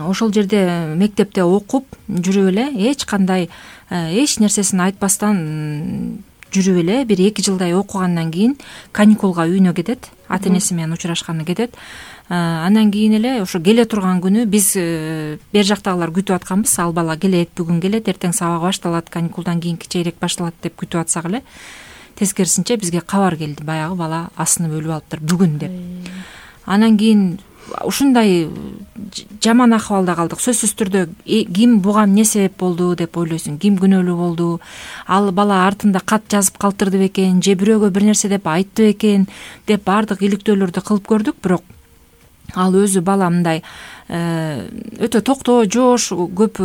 ошол жерде мектепте окуп жүрүп эле, эч кандай эч нерсесин айтпастан жүрүп эле бир 2 жылдай окугандан кийин каникулга үйүнө кетет, ата энеси менен учурашканы кетет. Андан кийин эле ошо келе турган күнү биз бер жактагылар күтүп атканбыз. Ал бала келет, бүгүн келет, эртең сабак башталат, каникулдан кийин чейрек башталат деп күтүп атсак эле, тескерисинче бизге кабар келди, баягы бала асынып өлүп алыптыр бүгүн деп. Анан кийин ушундай жаман акыбалда калдык. Сөзсүз түрдө ким буга эмне себеп болду деп ойлойсуң, ким күнөөлүү болду, ал бала артында кат жазып калтырды бекен, же бирөөгө бир нерсе деп айтты бекен деп баардык иликтөөлөрдү кылып көрдүк. Бирок ал өзү бала мындай өтө токтоо, жоош, көп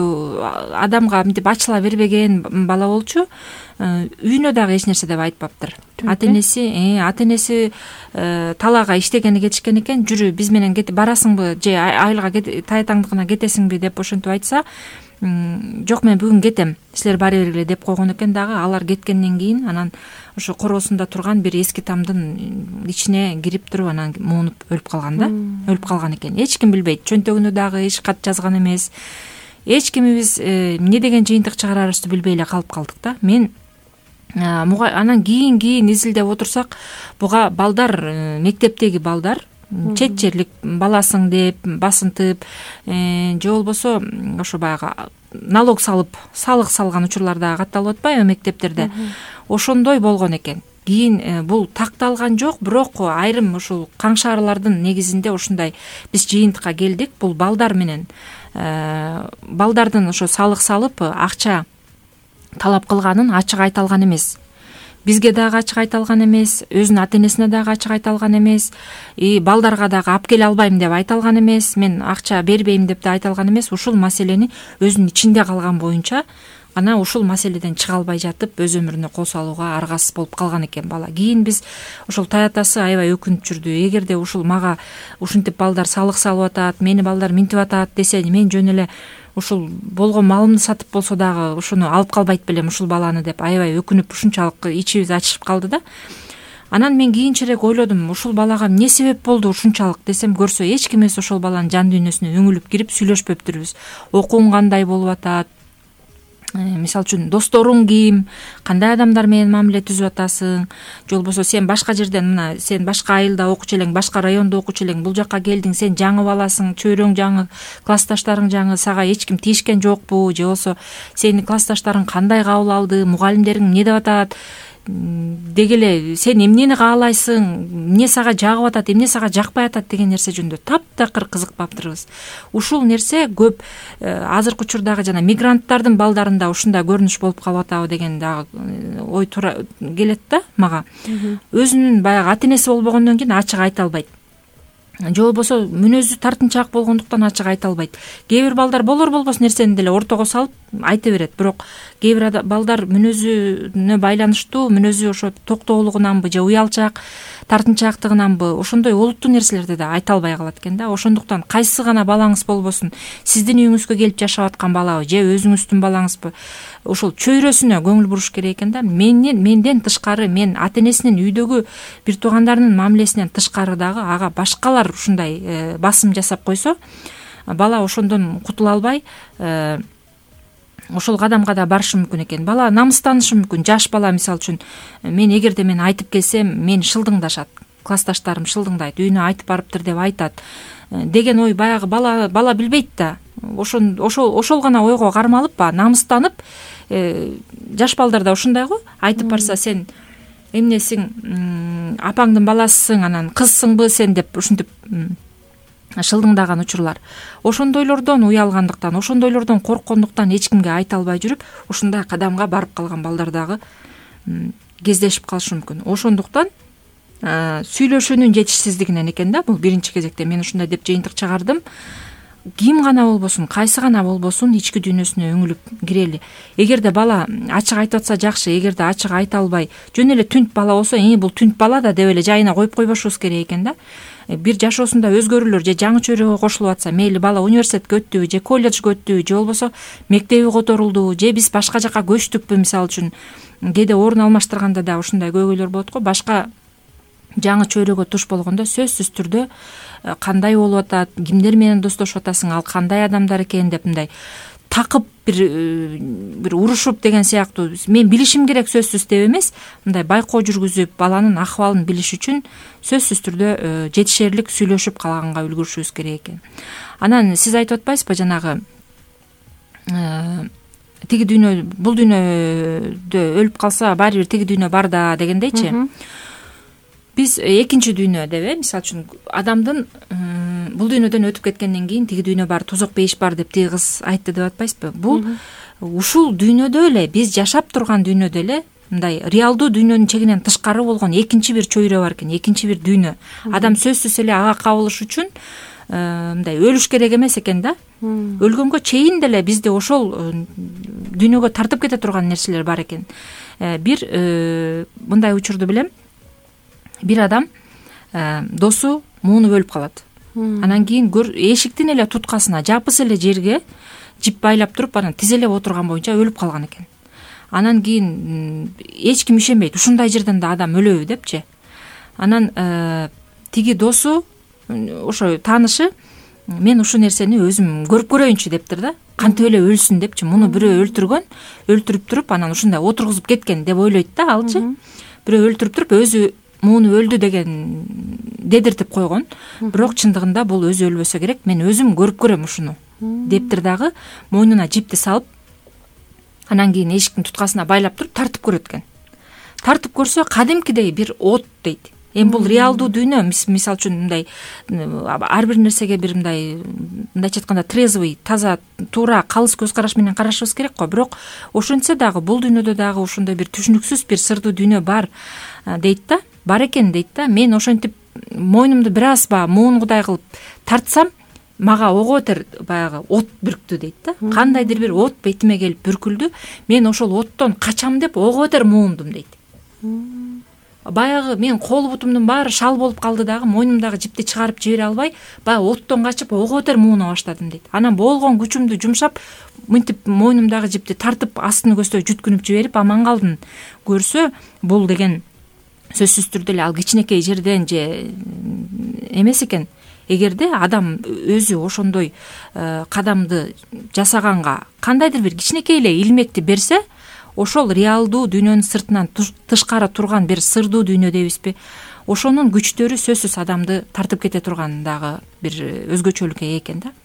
адамга мынтип ачыла бербеген бала болчу. Үйүнө дагы эч нерсе деп айтпаптыр. Ата энеси талаага иштегени кетишкен экен. Жүрү биз менен барасыңбы же айылга таятаңдыкына кетесиңби деп ошентип айтса, жок мен бүгүн кетем, силер бара бергиле деп койгон экен. Дагы алар кеткенден кийин анан ошо короосунда турган бир эски тамдын ичине кирип туруп анан муунуп өлүп калган да. Өлүп калган экен. Эч ким билбейт. Чөнтөгүнө дагы эч кат жазган эмес. Эч кимибиз эмне деген жыйынтык чыгарарыбызды билбей эле калып калдык да. Мен анан кийин изилдеп отурсак, буга балдар, мектептеги балдар чет жерлик баласың деп басынтып, же болбосо ошо баягы налог салып, салык салган учурлар дагы катталып атпайбы мектептерде. Ошондой болгон экен. Кийин бул такталган жок, бирок айрым ушул каңшаарлардын негизинде ушундай биз жыйынтыкка келдик. Бул балдар менен балдардын ошо салык салып акча талап кылганын ачык айта алган эмес. Бизге дагы ачык айта алган эмес, өзүнүн ата энесине дагы ачык айта алган эмес, балдарга дагы алып келе албайм деп айта алган эмес, мен акча бербейм деп да айта алган эмес. Ушул маселени өзүнүн ичинде калган боюнча ана ушул маселеден чыга албай жатып, өз өмүрүнө кол салууга аргасыз болуп калган экен бала. Кийин биз ошол таятасы аябай өкүнүп жүрдү. Эгерде ушул мага ушинтип балдар салык салып атат, мени балдар минтип атат десе, мен жөн эле ушул болгон малымды сатып болсо дагы ушуну алып калбайт белем ушул баланы деп аябай өкүнүп, ушунчалык ичибиз ачышып калды да. Анан мен кийинчерээк ойлодум, ушул балага эмне себеп болду ушунчалык десем, көрсө эч ким эмес ошол баланын жан дүйнөсүнө үңүлүп кирип сүйлөшпөптүрбүз. Окууң кандай болуп атат, мисалы үчүн досторуң ким, кандай адамдар менен мамиле түзүп атасың, же болбосо сен башка жерден, мына сен башка айылда окучу элең, башка райондо окучу элең, бул жакка келдиң, сен жаңы баласың, чөйрөң жаңы, классташтарың жаңы, сага эч ким тийишкен жокпу, же болбосо сени классташтарың кандай кабыл алды, мугалимдериң эмне деп атат деги эле, сен эмнени каалайсың, эмне сага жагып атат, эмне сага жакпай атат деген нерсе жөнүндө таптакыр кызыкпаптырбыз. Ушул нерсе көп азыркы учурдагы жана мигранттардын балдарында ушундай көрүнүш болуп калып атабы деген дагы ой келет да мага. Өзүнүн баягы ата энеси болбогондон кийин ачык айта албайт. Же болбосо мүнөзү тартынчаак болгондуктан ачык айта албайт. Кээ бир балдар болор-болбос нерсени деле ортого салып айта берет, бирок кээ бир балдар мүнөзүнө байланыштуу, мүнөзү ошо токтоолугунанбы же уялчаак, тартынчаактыгынанбы ошондой олуттуу нерселерди да айта албай калат экен да. Ошондуктан кайсы гана балаңыз болбосун, сиздин үйүңүзгө келип жашап аткан балабы же өзүңүздүн балаңызбы, ошол чөйрөсүнө көңүл буруш керек экен да. Менден тышкары, мен ата энесинин, үйдөгү бир туугандарынын мамилесинен тышкары дагы ага башкалар ушундай басым жасап койсо, бала ошондон кутула албай ошол кадамга да барышы мүмкүн экен. Бала намыстанышы мүмкүн. Жаш бала, мисалы үчүн, мен эгерде мен айтып келсем, мени шылдыңдашат, классташтарым шылдыңдайт, үйүнө айтып барыптыр деп айтат деген ой баягы бала билбейт да. Ошол гана ойго кармалып, намыстанып, жаш балдар да ушундай го, айтып барса, сен эмнесиң, апаңдын баласысың, анан кызсыңбы сен деп ушинтип шылдыңдаган учурлар. Ошондойлордон уялгандыктан, ошондойлордон корккондуктан эч кимге айта албай жүрүп, ушундай кадамга барып калган балдар дагы кездешип калышы мүмкүн. Ошондуктан сүйлөшүүнүн жетишсиздигинен экен да бул биринчи кезекте. Мен ушундай деп жыйынтык чыгардым. Ким гана болбосун, кайсы гана болбосун, ички дүйнөсүнө үңүлүп кирели. Эгерде бала ачык айтып атса жакшы, эгерде ачык айта албай, жөн эле түнт бала болсо, бул түнт бала да деп эле жайына коюп койбошубуз керек экен да. Бир жашоосунда өзгөрүүлөр же жаңы чөйрөгө кошулуп атса, мейли бала университетке өттүбү же колледжге өттүбү же болбосо мектеби которулду же биз башка жака көчтүкпү, мисалы үчүн кээде орун алмаштырганда да ушундай көйгөйлөр болот го. Башка жаңы чөйрөгө туш болгондо сөзсүз түрдө кандай болуп атат, кимдер менен достошуп атасың, ал кандай адамдар экен деп мындай такып бир урушуп деген сыяктуу, мен билишим керек сөзсүз деп эмес, мындай байкоо жүргүзүп баланын акыбалын билиш үчүн сөзсүз түрдө жетишерлик сүйлөшүп калганга үлгүрүшүбүз керек экен. Анан сиз айтып атпайсызбы, жанагы тиги дүйнө, бул дүйнөдө өлүп калса баары бир тиги дүйнө бар да дегендейчи. Биз экинчи дүйнө деп, мисалы үчүн адамдын бул дүйнөдөн өтүп кеткенден кийин тиги дүйнө бар, тозок бейиш бар деп тиги кыз айтты деп атпайсызбы? Бул ушул дүйнөдө эле, биз жашап турган дүйнөдө эле мындай реалдуу дүйнөнүн чегинен тышкары болгон экинчи бир чөйрө бар экен, экинчи бир дүйнө. Адам сөзсүз эле ага кабылыш үчүн мындай өлүш керек эмес экен да. Өлгөнгө чейин деле бизди ошол дүйнөгө тартып кете турган нерселер бар экен. Бир мындай учурду билем. Бир адам досу муунуп өлүп калат. Анан кийин эшиктин эле туткасына жапыс эле жерге жип байлап туруп, анан тизелеп отурган боюнча өлүп калган экен. Анан кийин эч ким ишенбейт, ушундай жерден да адам өлөбү депчи. Анан тиги досу, ошо таанышы, мен ушул нерсени өзүм көрүп көрөйүнчү дептир да. Кантип эле өлсүн депчи. Муну бирөө өлтүргөн, өлтүрүп туруп, анан ушундай отургузуп кеткен деп ойлойт да алчы. Бирөө өлтүрүп туруп өзү муну өлдү деген дедиртип койгон. Бирок чындыгында бул өзү өлбөсө керек, мен өзүм көрүп көрөм ушуну дептир дагы, мойнуна жипти салып, анан кийин эшиктин туткасына байлап туруп тартып көрөт экен. Тартып көрсө кадимкидей бир от дейт. Эми бул реалдуу дүйнө, мисалы үчүн мындай ар бир нерсеге бир мындайча айтканда трезвый, таза, туура, калыс көз караш менен карашыбыз керек го. Бирок ошентсе дагы бул дүйнөдө дагы ошондой бир түшүнүксүз бир сырдуу дүйнө бар дейт да. Бар экен дейт да. Мен ошентип мойнумду бир аз муунгудай кылып тартсам, мага ого бетер баягы от бүрктү дейт да. Кандайдыр бир от бетиме келип бүркүлдү. Мен ошол оттон качам деп ого бетер муундум дейт. Баягы мен кол бутумдун баары шал болуп калды дагы, мойнумдагы жипти чыгарып жибере албай, баягы оттон качып ого бетер мууна баштадым дейт. Анан болгон күчүмдү жумшап, мынтип мойнумдагы жипти тартып астын көздөй жүткүнүп жиберип аман калдым. Көрсө, бул деген сөзсүз түрдө эле ал кичинекей жерден же эмес экен. Эгерде адам өзү ошондой кадамды жасаганга кандайдыр бир кичинекей эле илмекти берсе, ошол реалдуу дүйнөнүн сыртынан тышкары турган бир сырдуу дүйнө дейбизби? Ошонун күчтөрү сөзсүз адамды тартып кете турган дагы бир өзгөчөлүккө ээ экен да.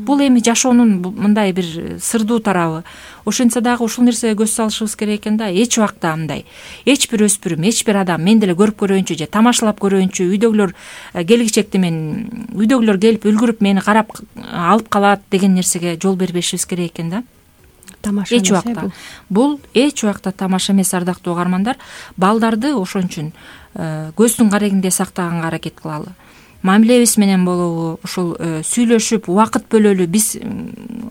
Бул эми жашоонун мындай бир сырдуу тарабы. Ошентсе дагы ушул нерсеге көз салышыбыз керек экен да. Эч убакта мындай эч бир өспүрүм, эч бир адам мен деле көрүп көрөйүнчү же тамашалап көрөйүнчү, үйдөгүлөр келгичекти мен үйдөгүлөр келип үлгүрүп мени карап алып калат деген нерсеге жол бербешибиз керек экен да. Тамаша эч убакта. Бул эч убакта тамаша эмес, ардактуу угармандар. Балдарды ошон үчүн көздүн карегинде сактаганга аракет кылалы. Мамилебиз менен болобу, ушул сүйлөшүп, убакыт бөлөлү. Биз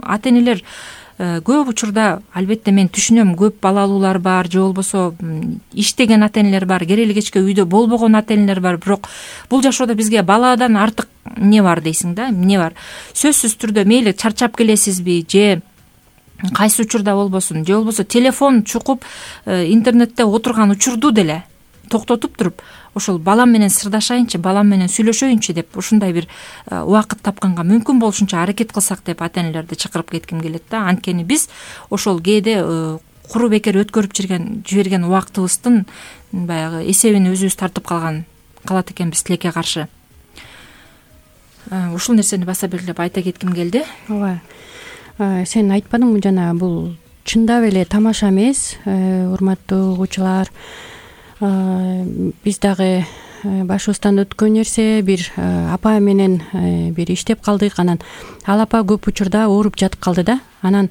ата-энелер көп учурда, албетте мен түшүнөм, көп балалуулар бар, же болбосо иштеген ата-энелер бар, керели кечке үйдө болбогон ата-энелер бар. Бирок бул жашоодо бизге баладан артык эмне бар дейсиң да? Эмне бар? Сөзсүз түрдө мейли чарчап келесизби, же кайсы учурда болбосун, же болбосо телефон чукуп интернетте отурган учурду деле токтотуп туруп, ошол балам менен сырдашайынчы, балам менен сүйлөшөйүнчү деп ушундай бир убакыт тапканга мүмкүн болушунча аракет кылсак деп ата-энелерди чакырып кетким келет да. Анткени биз ошол кээде куру бекер өткөрүп жиберген убактыбыздын баягы эсебин өзүбүз тартып калат экенбиз тилекке каршы. Ушул нерсени баса белгилеп айта кетким келди. Ооба. Сен айтпадыңбы жана, бул чындап эле тамаша эмес, урматтуу угуучулар. Биз дагы башыбыздан өткөн нерсе, бир апа менен бир иштеп калдык. Анан ал апа көп учурда ооруп жатып калды да. Анан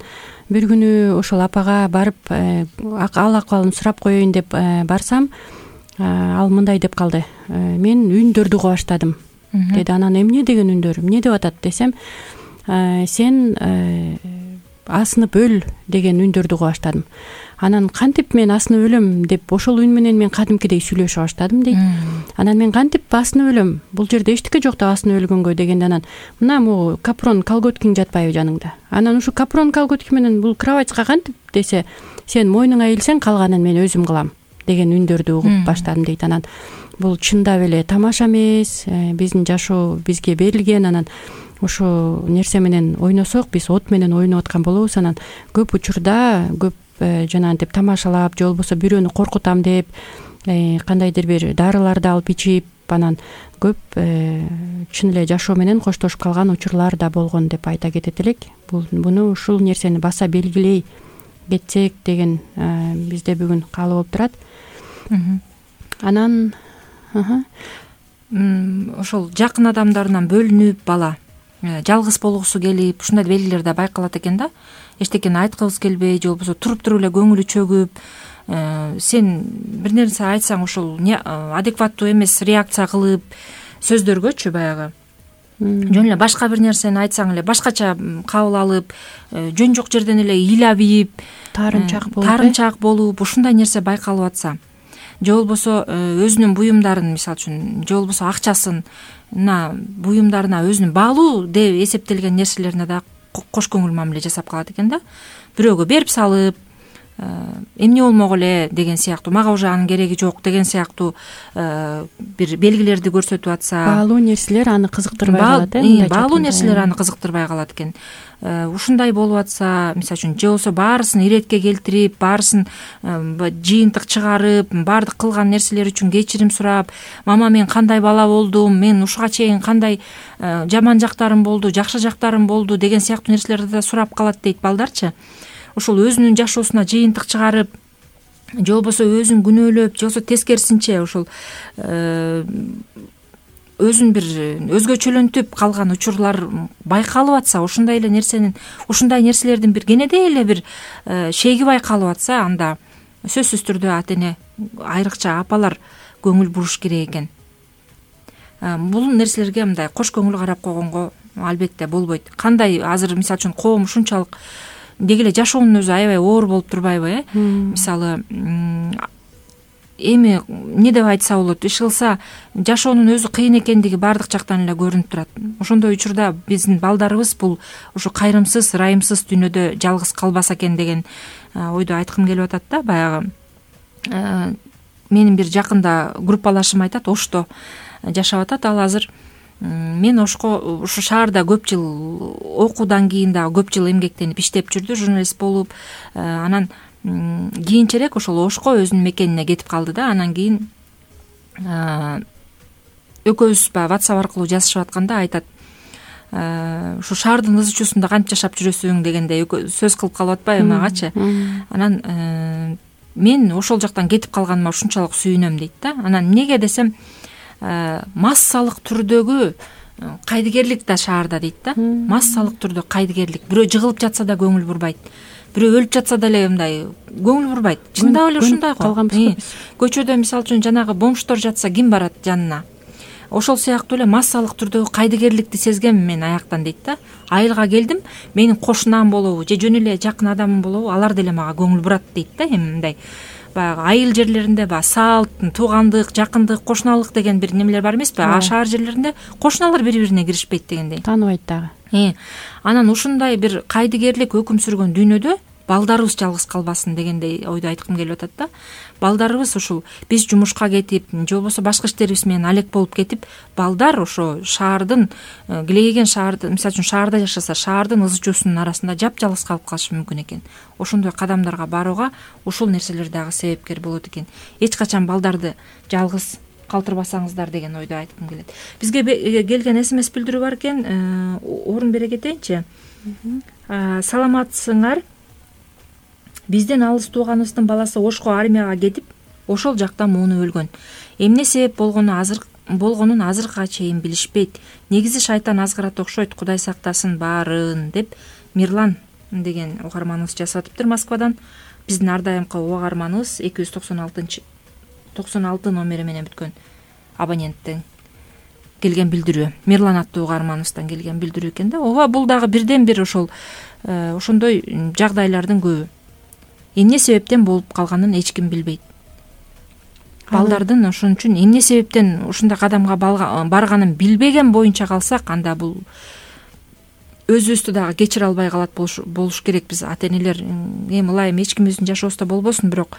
бир күнү ошол апага барып ал акыбалын сурап коеюн деп барсам, ал мындай деп калды: мен үндөрдү уга баштадым деди. Анан эмне деген үндөр, эмне деп атат десем, сен асынып өл деген үндөрдү уга баштадым. Анан кантип мен асынып өлөм деп, ошол үн менен мен кадимкидей сүйлөшө баштадым дейт. Анан мен кантип асынып өлөм, бул жерде эчтеке жок да асынып өлгөнгө дегенде, анан мына могу капрон колготкиң жатпайбы жаныңда? Анан ушу капрон колготки менен бул кроватька кантип десе, сен мойнуңа ийилсең калганын мен өзүм кылам деген үндөрдү угуп баштадым дейт. Анан бул чындап эле тамаша эмес, биздин жашоо бизге берилген. Анан ошо нерсе менен ойносок, биз от менен ойноп аткан болобуз. Анан көп учурда жанагынтип тамашалап, же болбосо бирөөнү коркутам деп кандайдыр бир дарыларды алып ичип, анан көп чын эле жашоо менен коштошуп калган учурлар да болгон деп айта кетет элек. Буну ушул нерсени баса белгилей кетсек деген бизде бүгүн каалоо болуп турат. Анан ошол жакын адамдарынан бөлүнүп бала жалгыз болгусу келип, ушундай белгилер да байкалат экен да. Эчтекени айткыбыз келбей, же болбосо туруп эле көңүлү чөгүп, сен бир нерсе айтсаң ошол адекваттуу эмес реакция кылып, сөздөргөчү баягы жөн эле башка бир нерсени айтсаң эле башкача кабыл алып, жөн жок жерден эле ыйлабийип, таарынчаак болуп ушундай нерсе байкалып атса, же болбосо өзүнүн буюмдарын, мисалы үчүн, же болбосо акчасын буюмдарына өзүнүн баалуу деп эсептелген нерселерине да кош көңүл мамиле жасап калат экен да. Бирөөгө берип салып, эмне болмок эле деген сыяктуу, мага уже анын кереги жок деген сыяктуу бир белгилерди көрсөтүп атса, баалуу нерселер аны кызыктырбай калат. Баалуу нерселер аны кызыктырбай калат экен. Ушундай болуп атса, мисалы үчүн, же болбосо баарысын иретке келтирип, баарысын жыйынтык чыгарып, баардык кылган нерселер үчүн кечирим сурап, мама мен кандай бала болдум, мен ушуга чейин кандай жаман жактарым болду, жакшы жактарым болду деген сыяктуу нерселерди да сурап калат дейт балдарчы. Ушул өзүнүн жашоосуна жыйынтык чыгарып, же болбосо өзүн күнөөлөп, же болбосо тескерисинче ушул өзүн бир өзгөчөлөнтүп калган учурлар байкалып атса, ушундай нерселердин бир кенедей эле бир шеги байкалып атса, анда сөзсүз түрдө ата эне, айрыкча апалар көңүл буруш керек экен. Бул нерселерге мындай кош көңүл карап койгонго албетте болбойт. Кандай азыр мисалы үчүн коом ушунчалык деги эле жашоонун өзү аябай оор болуп турбайбы, Мисалы, эми эмне деп айтса болот, иш кылса жашоонун өзү кыйын экендиги баардык жактан эле көрүнүп турат. Ошондой учурда биздин балдарыбыз бул ушу кайрымсыз, ырайымсыз дүйнөдө жалгыз калбаса экен деген ойду айткым келип атат да. Баягы менин бир жакында группалашым айтат, Ошто жашап атат. Ал азыр мен Ошко ушу шаарда көп жыл окуудан кийин дагы көп жыл эмгектенип иштеп жүрдү, журналист болуп. Анан кийинчерээк ошол Ошко өзүнүн мекенине кетип калды да. Анан кийин экөөбүз баягы WhatsApp аркылуу жазышып атканда айтат, ушу шаардын ызы чуусунда кантип жашап жүрөсүң дегендей сөз кылып калып атпайбы магачы. Анан мен ошол жактан кетип калганыма ушунчалык сүйүнөм дейт да. Анан эмнеге десем, массалык түрдөгү кайдыгерлик да шаарда дейт да. Массалык түрдө кайдыгерлик. Бирөө жыгылып жатса да көңүл бурбайт. Бирөө өлүп жатса деле мындай көңүл бурбайт. Чындап эле ушундай го. Көчөдө мисалы үчүн жанагы бомждор жатса ким барат жанына? Ошол сыяктуу эле массалык түрдөгү кайдыгерликти сезгем мен аяктан дейт да. Айылга келдим, менин кошунам болобу же жөн эле жакын адамым болобу, алар деле мага көңүл бурат дейт да. Эми мындай баягы айыл жерлеринде баягы салт, туугандык, жакындык, кошуналык деген бир немелер бар эмеспи? Шаар жерлеринде кошуналар бири-бирине киришпейт дегендей. Тааныбайт дагы. Анан ушундай бир кайдыгерлик өкүм сүргөн дүйнөдө балдарыбыз жалгыз калбасын дегендей ойду айткым келип атат да. Балдарыбыз ушул биз жумушка кетип, же болбосо башка иштерибиз менен алек болуп кетип, балдар ошо шаардын килейген шаарды, мисалы үчүн шаарда жашаса, шаардын ызы чуусунун арасында жапжалгыз калып калышы мүмкүн экен. Ошондой кадамдарга барууга ушул нерселер дагы себепкер болот экен. Эч качан балдарды жалгыз калтырбасаңыздар деген ойду айткым келет. Бизге келген SMS билдирүү бар экен, орун бере кетейинчи. Саламатсыңар? Бизден алыс тууганыбыздын баласы Ошко армияга кетип, ошол жакта муунуп өлгөн. Эмне себеп болгонун азыркыга чейин билишпейт. Негизи шайтан азгырат окшойт, Кудай сактасын баарын деп Мирлан деген угарманыбыз жазып атыптыр Москвадан. Биздин ар дайымкы угарманыбыз 296 номери менен бүткөн абоненттен келген билдирүү. Мирлан аттуу угарманыбыздан келген билдирүү экен да. Ооба, бул дагы бирден бир ошондой жагдайлардын көбү. Эмне себептен болуп калганын эч ким билбейт. Балдардын ошон үчүн эмне себептен ушундай кадамга барганын билбеген боюнча калсак, анда бул өзүбүздү дагы кечире албай калат болуш керек. Биз ата энелер ылайым эч ким өзүнүн жашоосунда болбосун, бирок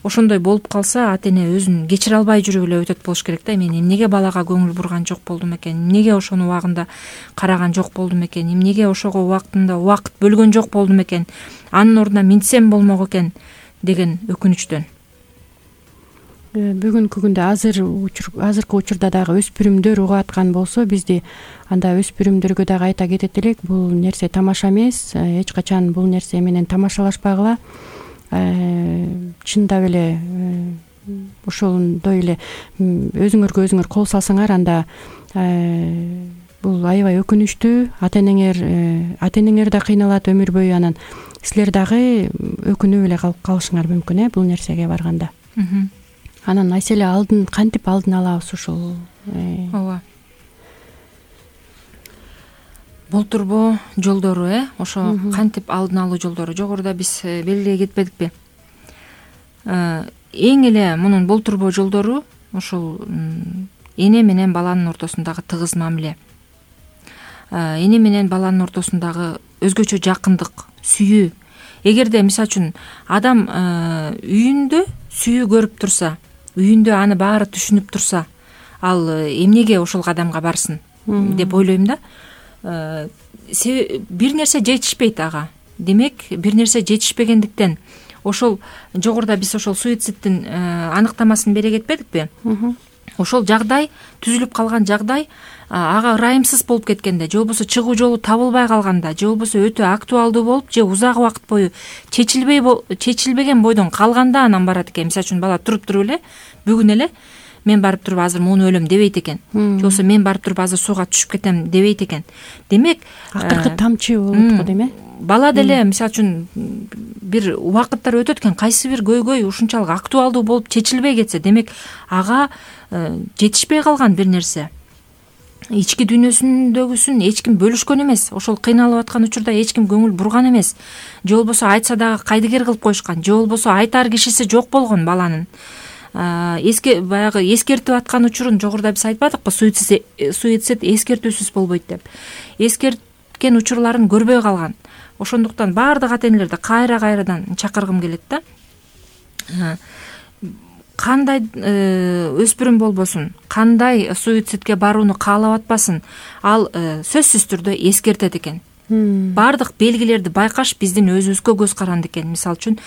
ошондой болуп калса ата эне өзүн кечире албай жүрүп эле өтөт болуш керек да. Мен эмнеге балага көңүл бурган жок болдум экен, эмнеге ошону убагында караган жок болдум экен, эмнеге ошого убактында убакыт бөлгөн жок болдум экен, анын ордуна минтсем болмок экен деген өкүнүчтөн. Бүгүнкү күндө азыркы учурда дагы өспүрүмдөр угуп аткан болсо, бизди анда өспүрүмдөргө дагы айта кетет элек, бул нерсе тамаша эмес, эч качан бул нерсе менен тамашалашпагыла. Чындап эле ошондой эле өзүңөргө өзүңөр кол салсаңар, анда бул аябай өкүнүчтүү. Ата энеңер да кыйналат өмүр бою, анан силер дагы өкүнүп эле калып калышыңар мүмкүн бул нерсеге барганда. Анан айселе кантип алдын алабыз ушул? Ооба. болтурбоо жолдору ошо кантип алдын алуу жолдору жогоруда биз белгилей кетпедикпи? Эң эле мунун болтурбоо жолдору ошол эне менен баланын ортосундагы тыгыз мамиле, эне менен баланын ортосундагы өзгөчө жакындык, сүйүү. Эгерде мисалы үчүн адам үйүндө сүйүү көрүп турса, үйүндө аны баары түшүнүп турса, ал эмнеге ошол кадамга барсын деп ойлойм да. Бир нерсе жетишпейт ага. Демек, бир нерсе жетишпегендиктен ошол жогоруда биз ошол суицидтин аныктамасын бере кетпедикпи? Ошол жагдай, түзүлүп калган жагдай ага ырайымсыз болуп кеткенде, же болбосо чыгуу жолу табылбай калганда, же болбосо өтө актуалдуу болуп, же узак убакыт бою чечилбеген бойдон калганда анан барат экен. Мисалы үчүн бала туруп эле, бүгүн эле мен барып туруп азыр муну өлөм дебейт экен. Же болбосо мен барып туруп азыр сууга түшүп кетем дебейт экен. Демек, акыркы тамчы болот го деме? Бала деле мисалы үчүн бир убакыттар өтөт экен, кайсы бир көйгөй ушунчалык актуалдуу болуп чечилбей кетсе, демек ага жетишпей калган бир нерсе. Ички дүйнөсүндөгүсүн эч ким бөлүшкөн эмес, ошол кыйналып аткан учурда эч ким көңүл бурган эмес, же болбосо айтса дагы кайдыгер кылып коюшкан, же болбосо айтар кишиси жок болгон баланын. Баягы эскертип аткан учурун жогоруда биз айтпадыкпы, суицид эскертүүсүз болбойт деп. Эскерткен учурларын көрбөй калган. Ошондуктан баардык ата-энелерди кайрадан чакыргым келет да. Кандай өспүрүм болбосун, кандай суицидке барууну каалап атпасын, ал сөзсүз түрдө эскертет экен. Баардык белгилерди байкаш биздин өзүбүзгө көз каранды экен. Мисалы үчүн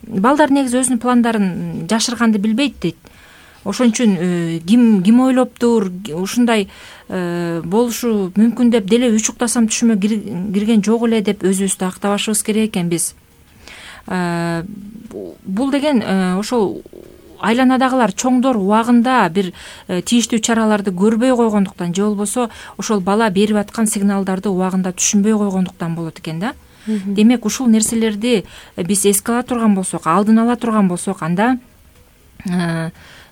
балдар негизи өзүнүн пландарын жашырганды билбейт дейт. Ошон үчүн ким ойлоптур, ушундай болушу мүмкүн деп деле үч уктасам түшүмө кирген жок эле деп өзүбүздү актабашыбыз керек экен биз. Бул деген ошол айланадагылар чоңдор убагында бир тийиштүү чараларды көрбөй койгондуктан, же болбосо ошол бала берип аткан сигналдарды убагында түшүнбөй койгондуктан болот экен да. Демек, ушул нерселерди биз эске ала турган болсок, алдын ала турган болсок, анда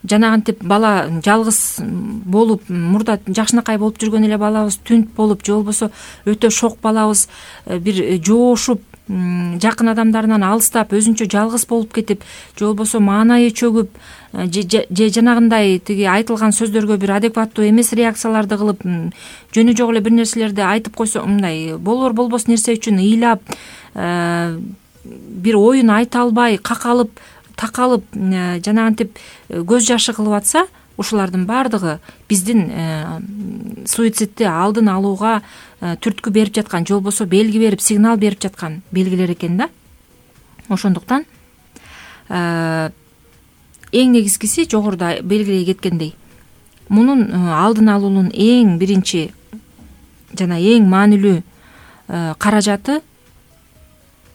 жанагынтип бала жалгыз болуп, мурда жакшынакай болуп жүргөн эле балабыз түнт болуп, же болбосо өтө шок балабыз бир жоошуп, жакын адамдарынан алыстап, өзүнчө жалгыз болуп кетип, же болбосо маанайы чөгүп, же жанагындай тиги айтылган сөздөргө бир адекваттуу эмес реакцияларды кылып, жөнү жок эле бир нерселерди айтып койсо, мындай болор болбос нерсе үчүн ыйлап, бир оюн айта албай, какалып, такалып, жанагынтип көз жашы кылып атса, ушулардын баардыгы биздин суицидти алдын алууга түрткү берип жаткан, же болбосо белги берип, сигнал берип жаткан белгилер экен да. Ошондуктан эң негизгиси жогоруда белгилей кеткендей, мунун алдын алуунун эң биринчи жана эң маанилүү каражаты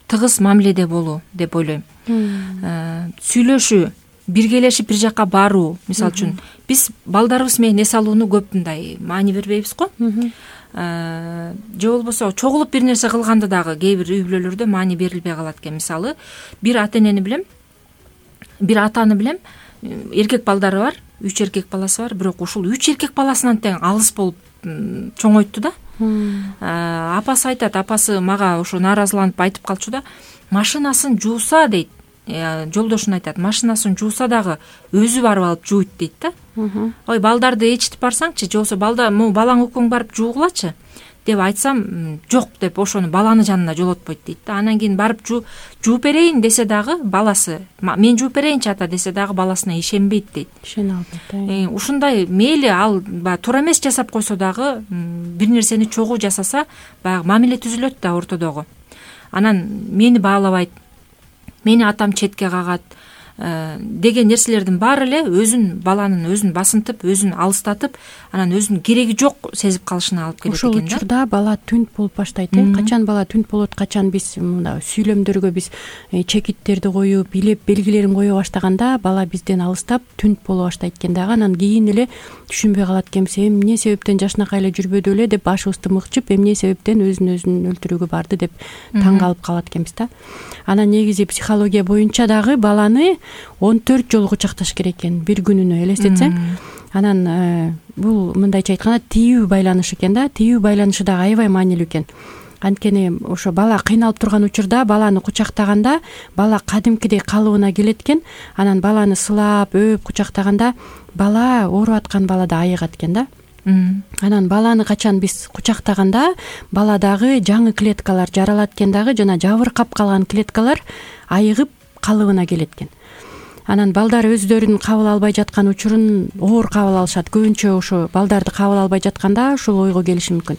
тыгыз мамиледе болуу деп ойлойм. Сүйлөшүү, биргелешип бир жака баруу. Мисалы үчүн биз балдарыбыз менен эс алууну көп мындай маани бербейбиз го. Же болбосо чогулуп бир нерсе кылганды дагы кээ бир үй бүлөлөрдө маани берилбей калат экен. Мисалы, бир ата-энени билем, бир атаны билем, эркек балдары бар, 3 эркек баласы бар, бирок ушул 3 эркек баласынан тең алыс болуп чоңойтту да. Апасы айтат, апасы мага ошо нааразыланып айтып калчу да, машинасын жууса дейт, жолдошуна айтат, машинасын жууса дагы өзү барып алып жууйт дейт да. Ой, балдарды ичитип барсаңчы, же болбосо балаң экөөң барып жуугулачы деп айтсам, жок деп ошону баланы жанына жолотпойт дейт да. Анан кийин барып жууп берейин десе дагы баласы, мен жууп берейинчи ата десе дагы баласына ишенбейт дейт. Ишене албайт. Ушундай мейли ал туура эмес жасап койсо дагы, бир нерсени чогуу жасаса, баягы мамиле түзүлөт да ортодогу. Анан мени баалабайт, мени атам четке кагат деген нерселердин баары эле баланын өзүн басынтып, өзүн алыстатып, анан өзүнүн кереги жок сезип калышына алып келет экен да. Ошол учурда бала түнт болуп баштайт. Качан бала түнт болот, качан биз мына сүйлөмдөргө биз чекиттерди коюп, билеп белгилерин кое баштаганда бала бизден алыстап түнт боло баштайт экен дагы. Анан кийин эле түшүнбөй калат экенбиз, эмне себептен жакшынакай эле жүрбөдү эле деп башыбызды мыкчып, эмне себептен өзүн өлтүрүүгө барды деп таң калып калат экенбиз да. Анан негизи психология боюнча дагы баланы 14 жолу кучакташ керек экен бир күнүнө, элестетсең. Анан бул мындайча айтканда тийүү байланыш экен да. Тийүү байланышы дагы аябай маанилүү экен. Анткени ошо бала кыйналып турган учурда баланы кучактаганда бала кадимкидей калыбына келет экен. Анан баланы сылап, өөп кучактаганда бала ооруп аткан бала да айыгат экен да. Анан баланы качан биз кучактаганда баладагы жаңы клеткалар жаралат экен дагы, жана жабыркап калган клеткалар айыгып калыбына келет экен. Анан балдар өздөрүн кабыл албай жаткан учурун оор кабыл алышат. Көбүнчө ошо балдарды кабыл албай жатканда ушул ойго келиши мүмкүн.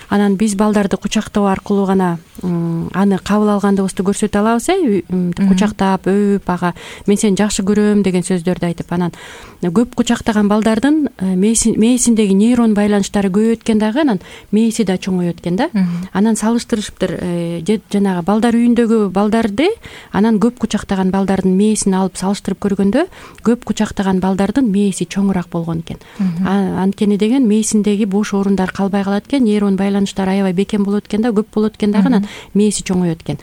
Анан биз балдарды кучактоо аркылуу гана аны кабыл алгандыгыбызды көрсөтө алабыз, кучактап, өөп, ага мен сени жакшы көрөм деген сөздөрдү айтып. Анан көп кучактаган балдардын мээсиндеги нейрон байланыштары көбөйөт экен дагы, анан мээси да чоңойот экен да. Анан салыштырышыптыр, жанагы балдар үйүндөгү балдарды анан көп кучактаган балдардын мээсин алып салыштырып көргөндө көп кучактаган балдардын мээси чоңураак болгон экен. Анткени деген мээсиндеги бош орундар калбай калат экен, нейрон байланыштар аябай бекем болот экен да, көп болот экен дагы, анан мээси чоңойот экен.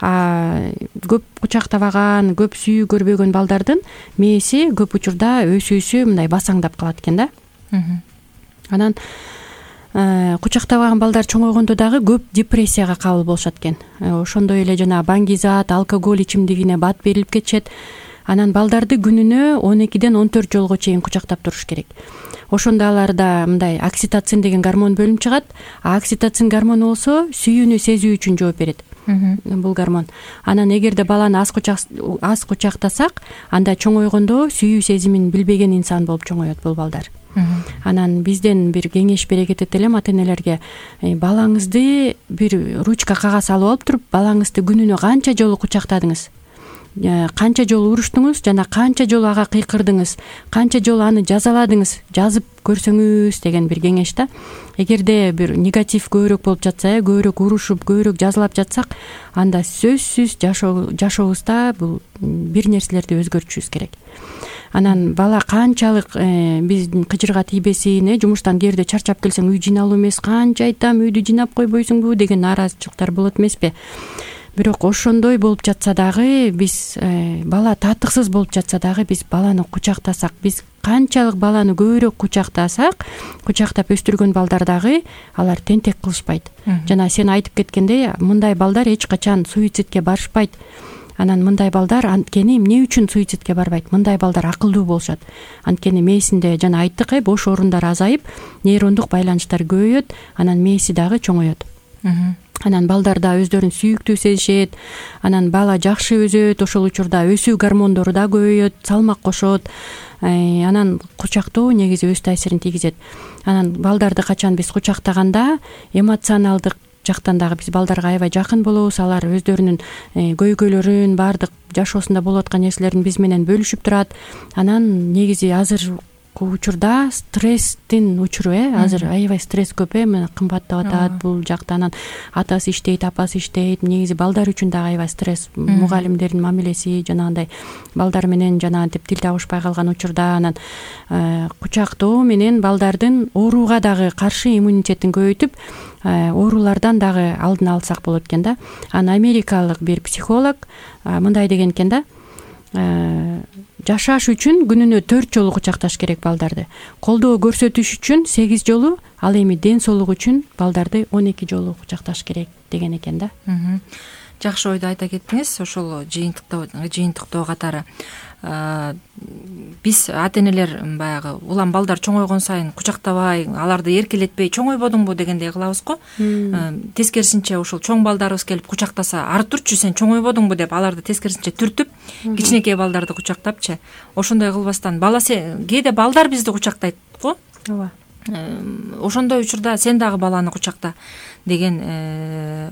Көп кучактабаган, көп сүйүү көрбөгөн балдардын мээси көп учурда өсүүсү мындай басаңдап калат экен да. Анан кучактабаган балдар чоңойгондо дагы көп депрессияга кабыл болушат экен. Ошондой эле жана баңгизат, алкоголь ичимдигине бат берилип кетишет. Анан балдарды күнүнө 12ден 14 жолго чейин кучактап туруш керек. Ошондо аларда мындай окситоцин деген гормон бөлүнүп чыгат. Окситоцин гормону болсо сүйүүнү сезүү үчүн жооп берет. Бул гормон. Анан эгерде баланы аз кучактасак, анда чоңойгондо сүйүү сезимин билбеген инсан болуп чоңоет бул балдар. Анан бизден бир кеңеш бере кетет элем ата-энелерге. Балаңызды бир ручка кагаз алып алып туруп, балаңызды күнүнө канча жолу кучактадыңыз? Канча жолу уруштуңуз жана канча жолу ага кыйкырдыңыз, канча жолу аны жазаладыңыз, жазып көрсөңүз деген бир кеңеш да. Эгерде бир негатив көбүрөөк болуп жатса, көбүрөөк урушуп, көбүрөөк жазалап жатсак, анда сөзсүз жашообузда бул бир нерселерди өзгөртүшүбүз керек. Анан бала канчалык биздин кыжырга тийбесин, жумуштан кээрде чарчап келсең үй жыйналуу эмес, канча айтам үйдү жыйнап койбойсуңбу деген нааразычылыктар болот эмеспи? Бирок ошондой болуп жатса дагы биз бала татыксыз болуп жатса дагы биз баланы кучактасак, биз канчалык баланы көбүрөөк кучактасак, кучактап өстүргөн балдар дагы алар тентек кылышпайт. Жана сен айтып кеткендей, мындай балдар эч качан суицидке барышпайт. Анан мындай балдар анткени эмне үчүн суицидке барбайт? Мындай балдар акылдуу болушат. Анткени мээсинде жана айттык, бош орундар азайып, нейрондук байланыштар көбөйөт, анан мээси дагы чоңойот. Анан балдар да өздөрүн сүйүктүү сезишет, анан бала жакшы өсөт, ошол учурда өсүү гормондору да көбөйөт, салмак кошот. Анан кучактоо негизи өз таасирин тийгизет. Анан балдарды качан биз кучактаганда эмоционалдык жактан дагы биз балдарга аябай жакын болобуз. Алар өздөрүнүн көйгөйлөрүн, баардык жашоосунда болуп аткан нерселерин биз менен бөлүшүп турат. Анан негизи азыр учурда стресстин учуру, азыр аябай стресс көп, мына кымбаттап атат бул жакта. Анан атасы иштейт, апасы иштейт. Негизи балдар үчүн дагы аябай стресс. Мугалимдердин мамилеси жанагындай балдар менен жанагынтип тил табышпай калган учурда, анан кучактоо менен балдардын ооруга дагы каршы иммунитетин көбөйтүп, оорулардан дагы алдын алсак болот экен да. Анан америкалык бир психолог мындай деген экен да: жашаш үчүн күнүнө 4 жолу кучакташ керек балдарды. Колдоо көрсөтүш үчүн 8 жолу, ал эми ден соолук үчүн балдарды 12 жолу кучакташ керек деген экен да. Жакшы ойду айта кеттиңиз. Ошол жыйынтыктоо катары биз ата-энелер баягы улам балдар чоңойгон сайын кучактабай, аларды эркелетпей чоңойбодуңбу дегендей кылабыз го. Тескерисинче ошол чоң балдарыбыз келип кучактаса, ары турчу сен чоңойбодуңбу деп аларды тескерисинче түртүп, кичинекей балдарды кучактапчы. Ошондой кылбастан кээде балдар бизди кучактайт го. Ооба. Ошондой учурда сен дагы баланы кучакта деген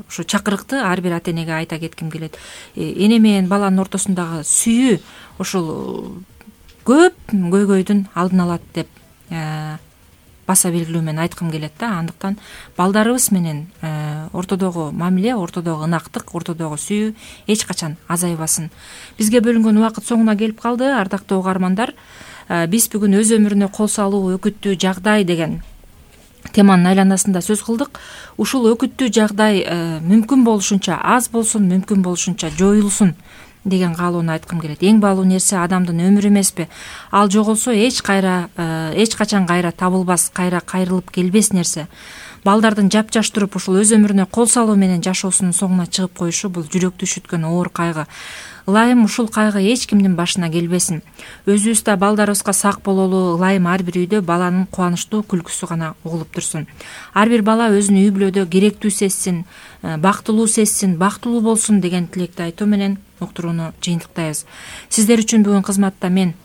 ушу чакырыкты ар бир ата-энеге айта кетким келет. Эне менен баланын ортосундагы сүйүү ошол көп көйгөйдүн алдын алат деп баса белгилүү менен айткым келет да. Андыктан балдарыбыз менен ортодогу мамиле, ортодогу ынактык, ортодогу сүйүү эч качан азайбасын. Бизге бөлүнгөн убакыт соңуна келип калды, ардактуу угармандар. Биз бүгүн өз өмүрүнө кол салуу өкүттүү жагдай деген теманын айланасында сөз кылдык. Ушул өкүттүү жагдай мүмкүн болушунча аз болсун, мүмкүн болушунча жоюлсун деген каалоону айткым келет. Эң баалуу нерсе адамдын өмүрү эмеспи? Ал жоголсо эч качан кайра табылбас, кайра кайрылып келбес нерсе. Балдардын жапжаш туруп ушул өз өмүрүнө кол салуу менен жашоосунун соңуна чыгып коюшу бул жүрөктү үшүткөн оор кайгы. Ылайым ушул кайгы эч кимдин башына келбесин. Өзүбүз да балдарыбызга сак бололу, ылайым ар бир үйдө баланын кубанычтуу күлкүсү гана угулуп турсун. Ар бир бала өзүн үй бүлөдө керектүү сезсин, бактылуу болсун деген тилекти айтуу менен уктурууну жыйынтыктайбыз. Сиздер үчүн бүгүн кызматта мен,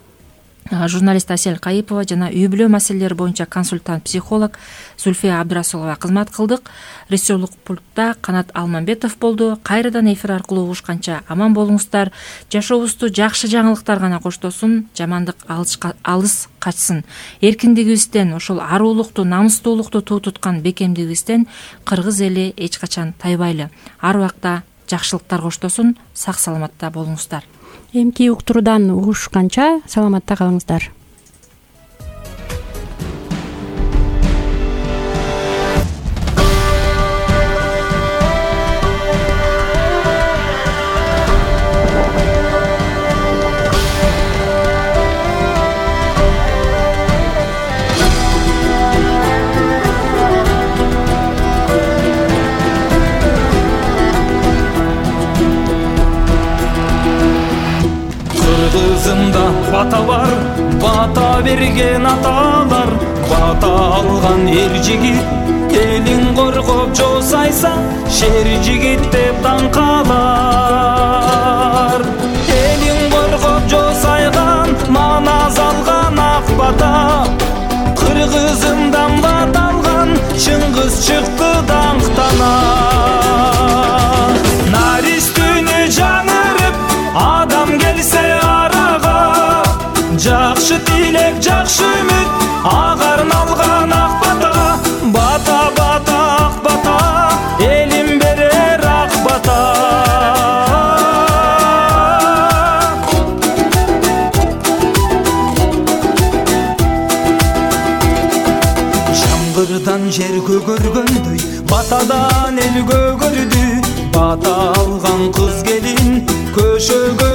журналист Асель Кайыпова жана үй бүлө маселелери боюнча консультант психолог Зульфия Абдрасулова кызмат кылдык. Режиссерлук пультта Канат Алмамбетов болду. Кайрадан эфир аркылуу угушканча аман болуңуздар. Жашообузду жакшы жаңылыктар гана коштосун, жамандык алыс качсын. Эркиндигибизден, ошол аруулукту, намустуулукту туу туткан бекемдигибизден кыргыз эли эч качан тайбайлы. Ар убакта жакшылыктар коштосун. Сак саламатта болуңуздар. Эмки уктуруудан угушканча саламатта калыңыздар. Кыргызымда бата бар, бата берген аталар, бата алган эр жигит, элин коргоп жоо сайса, шер жигит деп даңкалар. Элин коргоп жоо сайган, манас алган ак бата, кыргызымдан бата алган, Чыңгыз чыкты даңктана. Нар үстүнө жаңырып, адам келсе арага, жакшы тилек, жакшы үмүт, ага арналган ак бата, бата бата ак бата, элим берер ак бата. Жамгырдан жер көгөргөндөй, батадан эл көгөрдү, бата алган кыз келин көшөгө